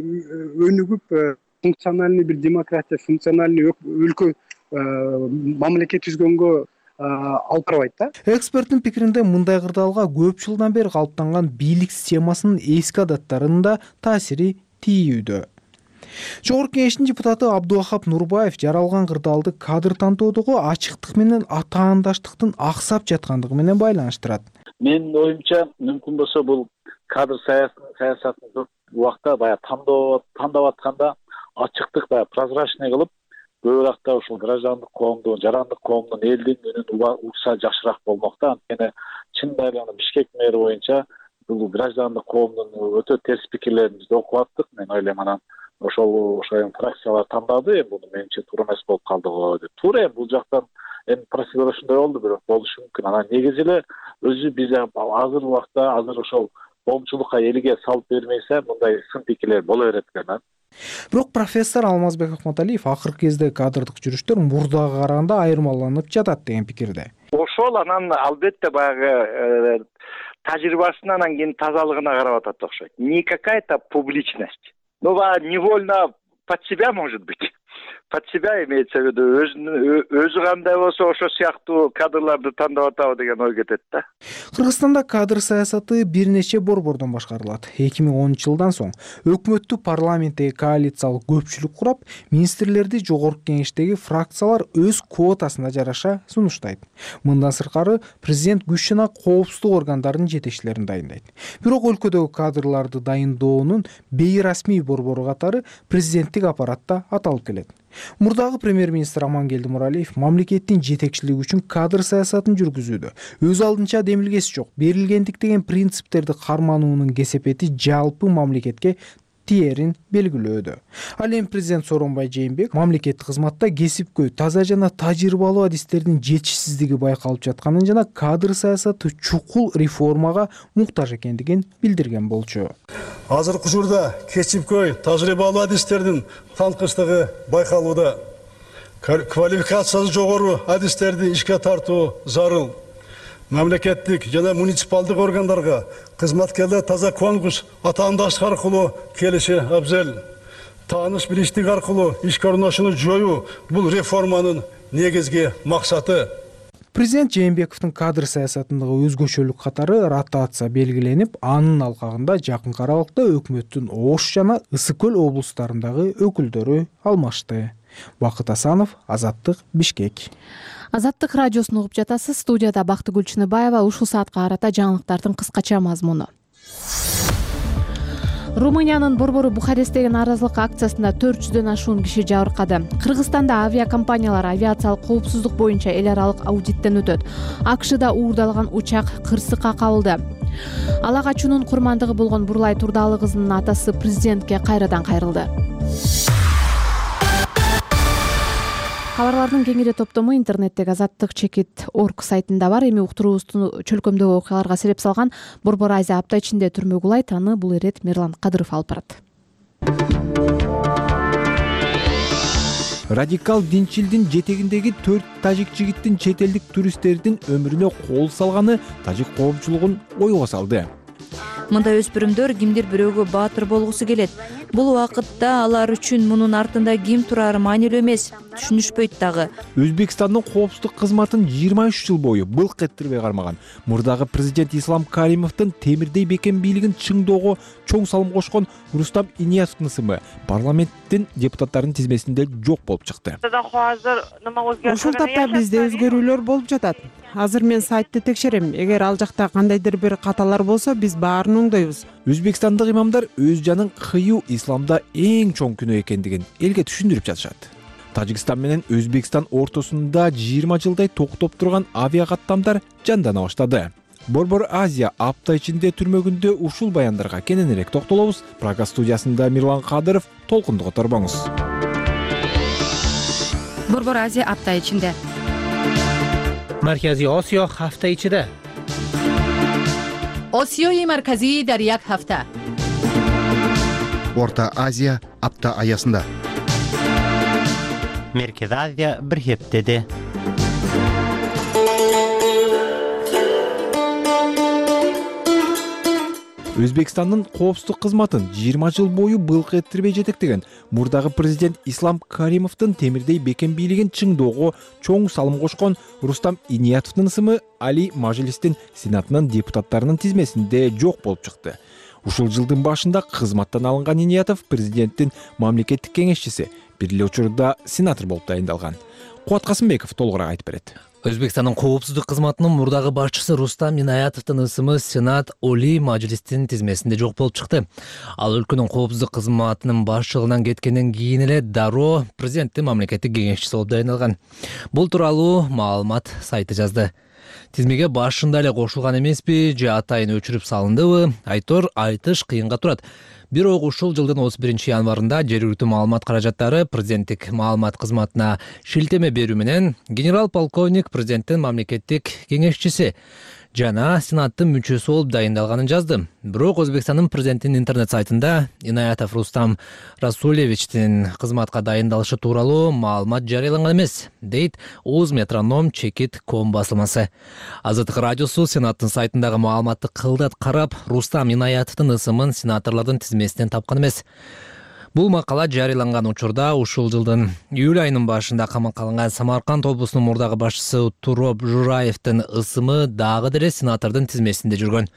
өнүгүп, функциональный бир демократия, функциональный өлкө мамлекет түзгөнгө алып барбайт да. Эксперттин пикиринде мындай кырдаалга көп жылдан бери калыптанган бийлик системасынын эски адаттарынын да таасири тийүүдө. Жогорку Кеңештин депутаты Абдувахап Нурбаев жаралган кырдаалды кадр тандоодогу ачыктык менен атаандаштыктын аксап жаткандыгы менен байланыштырат. Менин оюмча, мүмкүн болсо бул кадр саясатын көп убакта баягы тандоо тандап атканда ачыктык баягы прозрачный кылып, көбүрөөк ушул граждандык коомдун, жарандык коомдун элдин үнүн угса жакшыраак болмок да. Анткени чындап эле Бишкек мэри боюнча бул граждандык коомдун өтө терс пикирлерин биз окуп аттык. Мен ойлойм, анан ошол ошо фракциялар тандады, эми буну менимче туура эмес болуп калды го деп. Туура эми бул жактан эми процедура ушундай болду, бирок болушу мүмкүн. Анан негизи эле өзү биз азыр убакта азыр ошол коомчулукка элге салып бермейсе, мындай сын пикирлер боло берет экен. Бирок профессор Алмазбек Акматалиев акыркы кезде кадрдык жүрүштөр мурдага караганда айырмаланып жатат деген пикирде. Ошол анан албетте баягы тажрыйбасына, анан кийин тазалыгына карап атат окшойт. Не какая-то публичность. Ну, невольно под себя, может быть. Под себя имеется в виду. Өзү кандай болсо ошо сыяктуу кадрларды тандап атабы деген ой кетет да. Кыргызстанда кадр саясаты бир нече борбордон башкарылат. эки миң онунчу жылдан соң өкмөттү парламенттеги коалициялык көпчүлүк курап, министрлерди жогорку кеңештеги фракциялар өз квотасына жараша сунуштайт. Мындан сырткары президент күч жана коопсуздук органдарынын жетекчилерин дайындайт. Бирок өлкөдөгү кадрларды дайындоонун бейрасмий борбору катары президенттик аппаратта аталып келет. Мурдагы премьер-министр Амангелди Муралиев мамлекеттин жетекчилиги үчүн кадр саясатын жүргүзүүдө өз алдынча демилгеси жок, берилгендик деген принциптерди кармануунун кесепети жалпы мамлекетке тиерин белгилөөдө. Ал эми президент Сооронбай Жээнбеков мамлекеттик кызматта кесипкөй, таза жана тажрыйбалуу адистердин жетишсиздиги байкалып жатканын жана кадр саясаты чукул реформага муктаж экендигин билдирген болчу. Азыркы учурда кесипкөй, тажрыйбалуу адистердин танкычтыгы байкалууда. Квалификациясы жогору адистерди ишке тартуу зарыл. Мамлекеттик жана муниципалдык органдарга кызматкерлер таза конкурс, атаандаштык аркылуу келиши абзел. Тааныш билиштик аркылуу ишке орношууну жоюу бул реформанын негизги максаты. Президент Жээнбековдун кадр саясатындагы өзгөчөлүк катары ротация белгиленип, анын алкагында жакынкы аралыкта өкмөттүн Ош жана Ысык көл облустарындагы өкүлдөрү алмашты. Бакыт Асанов, Азаттык, Бишкек. Азаттык радиосун угуп жатасыз. Студияда Бактыгүл Чыныбаева. Ушул саатка карата жаңылыктардын кыскача мазмуну. Румыниянын борбору Бухаресттеги нааразылык акциясында төрт жүздөн ашуун киши жабыркады. Кыргызстанда авиакомпаниялар авиациялык коопсуздук боюнча эл аралык аудиттен өтөт. АКШда уурдалган учак Кырсыкка кабылды. Ала качуунун курмандыгы болгон Бурлай Турдалы кызынын атасы президентке кайрадан кайрылды. Кабарлардын кеңири топтому интернеттеги азаттык чекит точка орг сайтында бар. Эми уктуруубузду чөлкөмдөгү окуяларга себеп салган Борбор Азия апта ичинде түрмөгү улайт. Аны бул ирет Мирлан Кадыров алып барат. Радикал динчилдин жетегиндеги төрт тажик жигиттин чет элдик туристтердин өмүрүнө кол салганы тажик коомчулугун ойго салды. Мындай өспүрүмдөр кимдир бирөөгө баатыр болгусу келет. Бул убакытта алар үчүн мунун артында ким турары маанилүү эмес, түшүнүшпөйт дагы. Өзбекстандын коопсуздук кызматын жыйырма үч жыл бою былк этирбей кармаган мурдагы президент Ислам Каримовдун темирдей бекем бийлигин чыңдоого чоң салым кошкон Рустам Ильясовдун ысымы парламенттин депутаттарынын тизмесинде жок болуп чыкты. Ушул тапта бизде өзгөрүүлөр болуп жатат. азыр мен сайтты текшерем. Эгер ал жакта кандайдыр бир каталар болсо, биз баарын оңдойбуз. Өзбекстандык имамдар өз жанын кыюу исламда эң чоң күнөө экендигин элге түшүндүрүп жатышат. Тажикстан менен Өзбекстан ортосунда жыйырма жылдай токтоп турган авиа каттамдар жандана баштады. Борбор Азия апта ичинде түрмөгүндө ушул баяндарга кененирээк токтолобуз. Прага студиясында Мирлан Кадыров, толкунду которбоңуз. Борбор Азия апта ичинде. Маркази Осиё ҳафта ичида. Осиёи марказӣ дар як ҳафта. Орта Азия апта аясында. Меркез Азия бир хептеде. Өзбекстандын коопсуздук кызматын жыйырма жыл бою былк эттирбей жетектеген мурдагы президент Ислам Каримовдун темирдей бекем бийлигин чыңдоого чоң салым кошкон Рустам Иниятовдун ысымы Али Мажлистин Сенатынын депутаттарынын тизмесинде жок болуп чыкты. Ушул жылдын башында кызматтан алынган Иниятов президенттин мамлекеттик кеңешчиси, бир эле учурда сенатор болуп дайындалган. Кубат Касымбеков толугураак айтып берет. Өзбекстандын коопсуздук кызматынын мурдагы башчысы Рустам Иниятовдун ысымы Сенат Оли Мажлистин тизмесинде жок болуп чыкты. Ал өлкөнүн коопсуздук кызматынын башчылыгынан кеткенден кийин эле дароо президенттин мамлекеттик кеңешчиси болуп дайындалган. Бул тууралуу маалымат сайты жазды. Тизмеге башында эле кошулган эмеспи же атайын өчүрүп салындыбы, айтор айтыш кыйынга турат. Бирок ушул жылдын отуз биринчи январында жергиликтүү маалымат каражаттары президенттик маалымат кызматына шилтеме берүү менен генерал полковник президенттин мамлекеттик кеңешчиси жана сенаттын мүчөсү болуп дайындалганын жазды. Бирок Өзбекстандын президентинин интернет сайтында Иниятов Рустам Расулевичтин кызматка дайындалышы тууралуу маалымат жарыяланган эмес, дейт Уз Метроном Чекит ком басылмасы. Азаттык радиосу сенаттын сайтындагы маалыматты кылдат карап, Рустам Иниятовдун ысымын сенаторлордун тизмесинен тапкан эмес. Бул макала жарыяланган учурда ушул жылдын июль айынын башында камакка алынган Самарканд облусунун мурдагы башчысы Туроп Жураевдин ысымы дагы деле сенатордун тизмесинде жүргөн.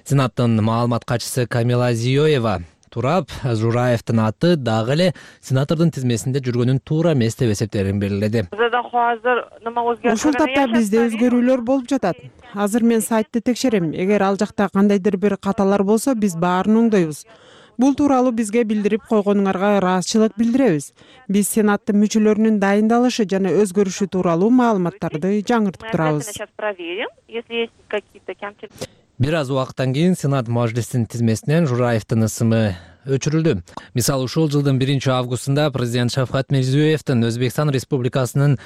Сенаттын маалымат катчысы Камила Зиёева Турап Жураевдин аты дагы эле сенатордун тизмесинде жүргөнүн туура эмес деп эсептеерин белгиледи. Ушул тапта бизде өзгөрүүлөр болуп жатат. Азыр мен сайтты текшерем. Эгер ал жакта кандайдыр бир каталар болсо, биз баарын оңдойбуз. Бул тууралуу бизге билдирип койгонуңарга ыраазычылык билдиребиз. Биз сенаттын мүчөлөрүнүн дайындалышы жана өзгөрүшү тууралуу маалыматтарды жаңыртып турабыз. Бир аз убакыттан кийин Сенат Мажлистин тизмесинен Жураевдин ысымы өчүрүлдү. Мисалы, ушул жылдын биринчи августунда президент Шавкат Мирзиёевдин Өзбекстан Республикасынын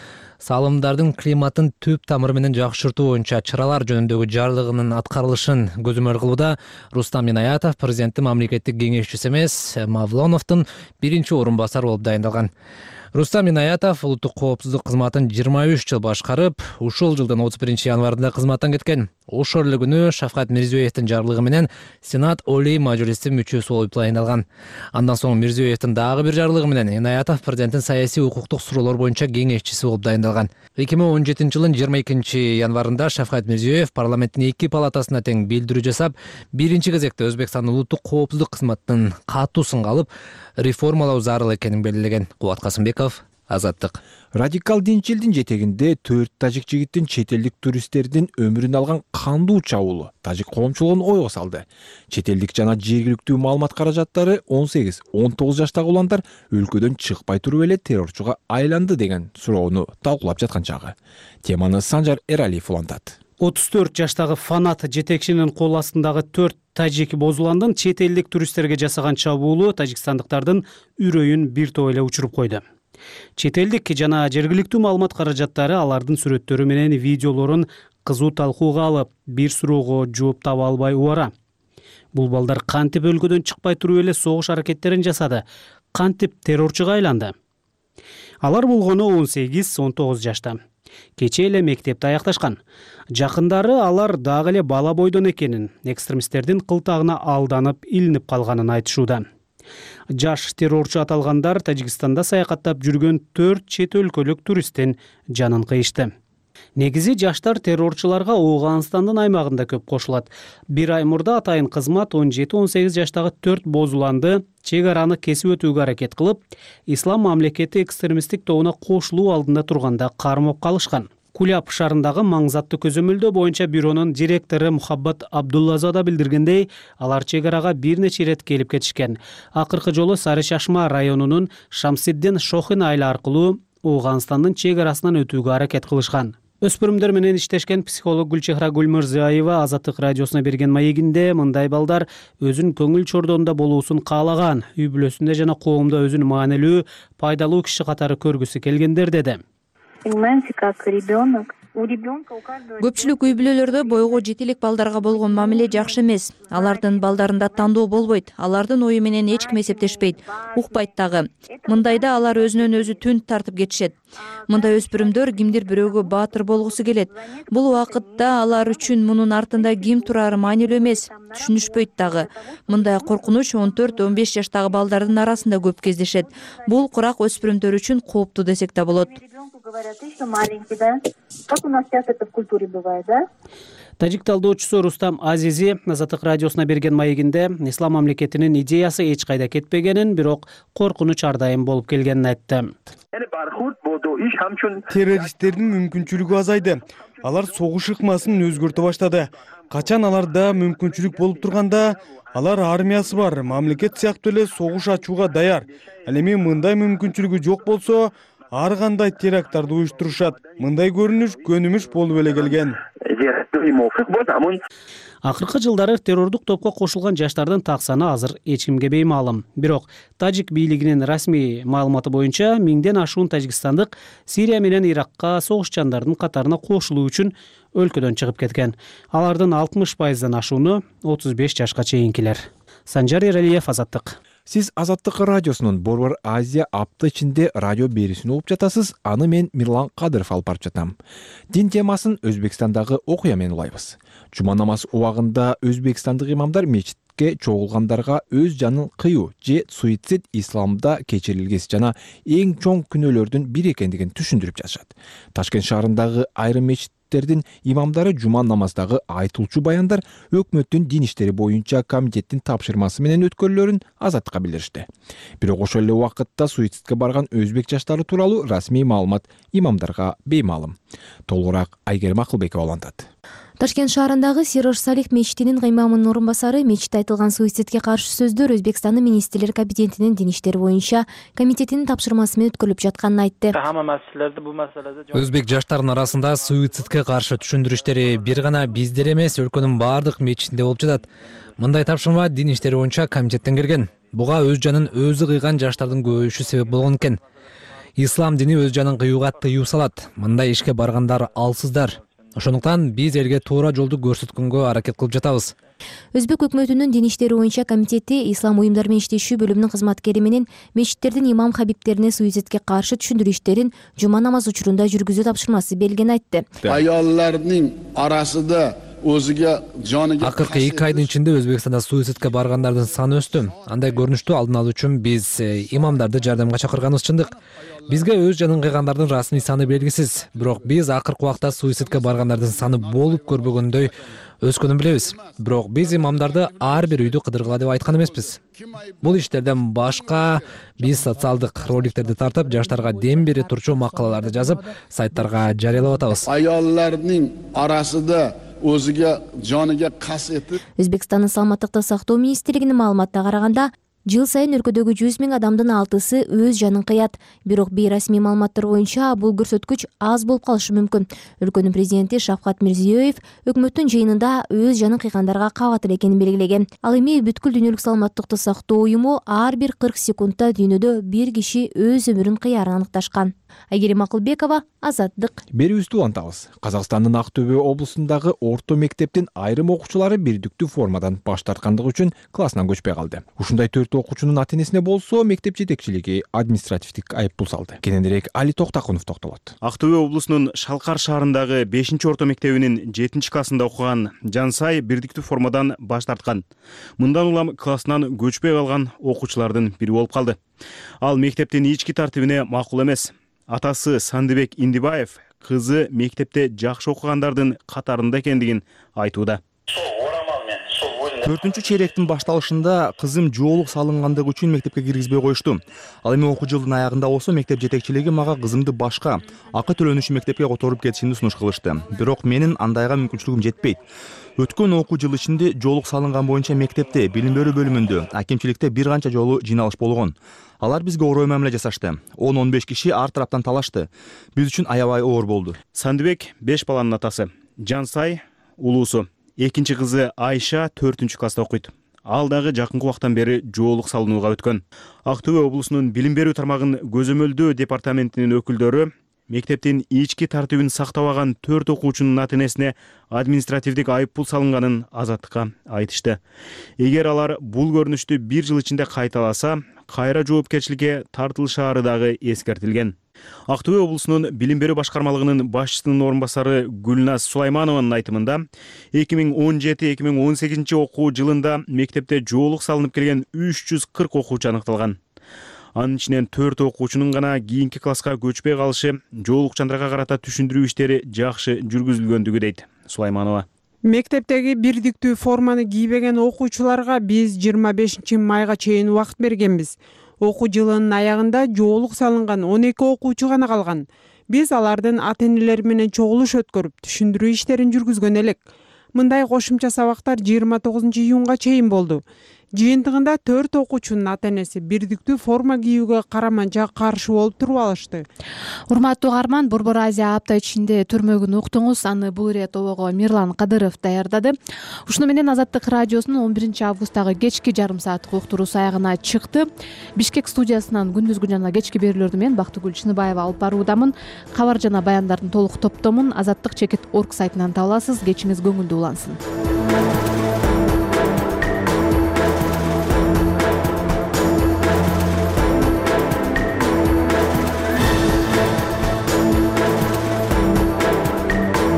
салымдардын климаттын түп тамыры менен жакшыртуу боюнча чаралар жөнүндөгү жарлыгынын аткарылышын көзөмөл кылууда Рустам Иниятов президенттин мамлекеттик кеңешчиси эмес, Мавлоновдун биринчи орун басары болуп дайындалган. Рустам Иниятов улуттук коопсуздук кызматын жыйырма үч жыл башкарып, ушул жылдын отуз биринчи январында кызматтан кеткен. Ошол эле күнү Шавкат Мирзиёевдин жарлыгы менен Сенат Оли Мажлистин мүчөсү болуп дайындалган. Андан соң Мирзиёевдин дагы бир жарлыгы менен Иниятов президенттин саясий укуктук суроолор боюнча кеңешчиси болуп дайындалган. эки миң он жетинчи жылдын жыйырма экинчи январында Шавкат Мирзиёев парламенттин эки палатасына тең билдирүү жасап, биринчи кезекте Өзбекстандын улуттук коопсуздук кызматынын катуу сынга алып, реформалоо зарыл экенин белгилеген. Кубат Касымбеков, Азаттык. Радикал динчилдин жетегинде төрт тажик жигиттин чет элдик туристтердин өмүрүн алган кандуу чабуулу тажик коомчулугун ойго салды. Чет элдик жана жергиликтүү маалымат каражаттары он сегиз он тогуз жаштагы уландар өлкөдөн чыкпай туруп эле террорчуга айланды деген суроону талкуулап жаткан чагы. Теманы Санжар Эралиев улантат. отуз төрт жаштагы Фанат жетекчинин кол астындагы төрт тажик бозуландын чет элдик туристтерге жасаган чабуулу тажикстандыктардын үрөйүн бир топ эле учуруп койду. Чет элдик жана жергиликтүү маалымат каражаттары алардын сүрөттөрү менен видеолорун кызуу талкууга алып, бир суроого жооп таба албай убара. Бул балдар кантип өлкөдөн чыкпай туруп эле согуш аракеттерин жасады, кантип террорчуга айланды? Алар болгону он сегиз он тогуз жашта. Кечээ эле мектепти аякташкан. Жакындары алар дагы эле бала бойдон экенин, экстремисттердин кылтагына алданып, илинип калганын айтышууда. Жаш террорчу аталгандар Тажикстанда саякаттап жүргөн төрт чет өлкөлүк туристтин жанын кыйышты. Негизи жаштар террорчуларга Ооганстандын аймагында көп кошулат. Бир ай мурда атайын кызмат он жети он сегиз жаштагы төрт бозуланды чек араны кесип өтүүгө аракет кылып, Ислам мамлекети экстремисттик тобуна кошулуу алдында турганда кармап калышкан. Куляб шаарындагы маңзаттуу көзөмөлдөө боюнча бюронун директору Мухаббат Абдуллазада билдиргендей, алар чек арага бир нече ирет келип кетишкен. Акыркы жолу Сары Чашма районунун Шамсиддин Шохин айылы аркылуу Ооганстандын чек арасынан өтүүгө аракет кылышкан. Өспүрүмдөр менен иштешкен психолог Гүлчехра Гүлмырзаева Азаттык радиосуна берген маегинде мындай балдар өзүнүн көңүл чордоонда болуусун каалаган, үй бүлөсүндө жана коомдо өзүн маанилүү, пайдалуу киши катары көргүсү келгендер деди. Көпчүлүк үй бүлөлөрдө бойго жете элек балдарга болгон мамиле жакшы эмес. Алардын балдарында тандоо болбойт, алардын ою менен эч ким эсептешпейт, укпайт дагы. Мындайда алар өзүнөн өзү түн тартып кетишет. Мындай өспүрүмдөр кимдир бирөөгө баатыр болгусу келет. Бул убакытта алар үчүн мунун артында ким турары маанилүү эмес, түшүнүшпөйт дагы. Мындай коркунуч он төрт он беш жаштагы балдардын арасында көп кездешет. Бул курак өспүрүмдөр үчүн кооптуу десек да болот. Тажик талдоочусу Рустам Азизи Азаттык радиосуна берген маегинде ислам мамлекетинин идеясы эч кайда кетпегенин, бирок коркунуч ар дайым болуп келгенин айтты. Террористтердин мүмкүнчүлүгү азайды. Алар согуш ыкмасын өзгөртө баштады. Качан аларда мүмкүнчүлүк болуп турганда, алар армиясы бар, мамлекет сыяктуу эле согуш ачууга даяр. Ал эми мындай мүмкүнчүлүгү жок болсо, ар кандай теракттарды уюштурушат. Мындай көрүнүш көнүмүш болуп эле келген. Акыркы жылдары террордук топко кошулган жаштардын так саны азыр эч кимге беймаалым. Бирок тажик бийлигинин расмий маалыматы боюнча миңден ашуун тажикстандык Сирия менен Иракка согушчандардын катарына кошулуу үчүн өлкөдөн чыгып кеткен. Алардын алтымыш пайыздан ашууну отуз беш жашка чейинкилер. Санжар Эралиев, Азаттык. Сиз Азаттык радиосунун Борбор Азия апта ичинде радио берүүсүн угуп жатасыз. Аны мен Мирлан Кадыров алып барып жатам. Дин темасын Өзбекстандагы окуя менен улайбыз. Жума намаз убагында өзбекстандык имамдар мечитке чогулгандарга өз жанын кыюу же суицид исламда кечирилгес жана эң чоң күнөөлөрдүн бири экендигин түшүндүрүп жатышат. Ташкент шаарындагы айрым мечиттердин имамдары жума намаздагы айтылчу баяндар өкмөттүн дин иштери боюнча комитеттин тапшырмасы менен өткөрүлөрүн Азаттыкка билдиришти. Бирок ошол эле убакытта суицидке барган өзбек жаштары тууралуу расмий маалымат имамдарга беймаалым. Толугураак Айгерим Акылбекова улантат. Ташкент шаарындагы Сирош Салих мечитинин каймамынын орун басары мечитте айтылган суицидке каршы сөздөр Өзбекстандын министрлер кабинетинин дин иштери боюнча комитетинин тапшырмасы менен өткөрүлүп жатканын айтты. Өзбек жаштарынын арасында суицидке каршы түшүндүрүштери бир гана биздер эмес, өлкөнүн баардык мечитинде болуп жатат. Мындай тапшырма дин иштери боюнча комитеттен келген. Буга өз жанын өзү кыйган жаштардын көбөйүшү себеп болгон экен. Ислам дини өз жанын кыюуга тыюу салат. Мындай ишке баргандар алсыздар. Ошондуктан биз элге туура жолду көрсөткөнгө аракет кылып жатабыз. Өзбек өкмөтүнүн дин иштери боюнча комитети ислам уюмдары менен иштешүү бөлүмүнүн кызматкери менен мечиттердин имам хабибтерине суицидке каршы түшүндүрүү иштерин жума намаз учурунда жүргүзүү тапшырмасы берилгенин айтты. Аяллардын арасында өзүгө жаны акыркы эки айдын ичинде Өзбекстанда суицидке баргандардын саны өстү. Андай көрүнүштү алдын алуу үчүн биз имамдарды жардамга чакырганыбыз чындык. Бизге өз жанын кыйгандардын расмий саны белгисиз. Бирок биз акыркы убакта суицидке баргандардын саны болуп көрбөгөндөй өскөнүн билебиз. Бирок биз имамдарды ар бир үйдү кыдыргыла деп айткан эмеспиз. Бул иштерден башка биз социалдык роликтерди тартып, жаштарга дем бере турчу макалаларды жазып, сайттарга жарыялап атабыз. Аяллардын арасында өзүгө жаныга кас этип. Өзбекстандын саламаттыкты сактоо министрлигинин маалыматына караганда, жыл сайын өлкөдөгү жүз миң адамдын алтысы өз жанын кыят. Бирок бейрасмий маалыматтар боюнча бул көрсөткүч аз болуп калышы мүмкүн. Өлкөнүн президенти Шавкат Мирзиёев өкмөттүн жыйынында өз жанын кыйгандарга кабатыр экенин белгилеген. Ал эми бүткүл дүйнөлүк саламаттыкты сактоо уюму ар бир кырк секундта дүйнөдө бир киши өз өмүрүн кыярын аныкташкан. Айгерим Акылбекова, Азаттык. Берүүбүздү улантабыз. Казакстандын Ак Төбө облусундагы орто мектептин айрым окуучулары бирдиктүү формадан баш тарткандыгы үчүн классынан көчпөй калды. Ушундай төрт окуучунун ата-энесине болсо мектеп жетекчилиги административдик айыппул салды. Кененирээк Али Токтакунов токтолот. Ак Төбө облусунун Шалкар шаарындагы бешинчи орто мектебинин жетинчи классында окуган Жансай бирдиктүү формадан баш тарткан. Мындан улам классынан көчпөй калган окуучулардын бири болуп калды. Ал мектептин ички тартибине макул эмес. Атасы Сандыбек Индибаев кызы мектепте жакшы окугандардын катарында экендигин айтууда. Сол орамал менен, сол төртүнчү чейректин башталышында кызым жоолук салынгандыгы үчүн мектепке киргизбей коюшту. Ал эми окуу жылдын аягында болсо мектеп жетекчилиги мага кызымды башка акы төлөнүшү мектепке которуп кетишимди сунуш кылышты. Бирок менин андайга мүмкүнчүлүгүм жетпейт. Өткөн окуу жыл ичинде жоолук салынган боюнча мектепте, билим берүү бөлүмүндө, акимчиликте бир канча жолу жыйналыш болгон. Алар бизге орой мамиле жасашты. он он беш киши ар тараптан талашты. Биз үчүн аябай оор болду. Сандыбек беш баланын атасы. Жансай улуусу. Экинчи кызы Айша төртүнчү класста окуйт. Ал дагы жакынкы убактан бери жоолук салынууга өткөн. Ак Төө облусунун билим берүү тармагын көзөмөлдөө департаментинин өкүлдөрү мектептин ички тартибин сактабаган төрт окуучунун ата энесине административдик айып пул салынганын Азаттыкка айтышты. Эгер алар бул көрүнүштү бир жыл ичинде кайталаса, кайра жоопкерчиликке тартылышаары дагы эскертилген. Ак Төө облусунун билим берүү башкармалыгынын башчысынын орун басары Гүлназ Сулайманованын айтымында эки миң он жети эки миң он сегизинчи окуу жылында мектепте жоолук салынып келген үч жүз кырк окуучу аныкталган. Анын ичинен төрт окуучунун гана кийинки класска көчпөй калышы, жоолукчандарга карата түшүндүрүү иштери жакшы жүргүзүлгөндүгү дейт Сулайманова. Мектептеги бирдиктүү форманы кийбеген окуучуларга биз жыйырма бешинчи майга чейин убакыт бергенбиз. Окуу жылынын аягында жоолук салынган он эки окуучу гана калган. Биз алардын ата энелери менен чогулуш өткөрүп, түшүндүрүү иштерин жүргүзгөн элек. Мындай кошумча сабактар жыйырма тогузунчу июнга чейин болду. Жыйынтыгында төрт окуучунун ата энеси бирдиктүү форма кийүүгө караманча каршы болуп туруп алышты. Урматтуу угарман, Борбор Азия апта ичинде түрмөгүн уктуңуз. Аны бул ирет обого Мирлан Кадыров даярдады. Ушуну менен Азаттык радиосунун он биринчи августтагы кечки жарым сааттык уктуруусу аягына чыкты. Бишкек студиясынан күндүзгү жана кечки берүүлөрдү мен Бактыгүл Чыныбаева алып баруудамын. Кабар жана баяндардын толук топтомун азаттык чекит точка орг сайтынан таба аласыз. Кечиңиз көңүлдүү улансын.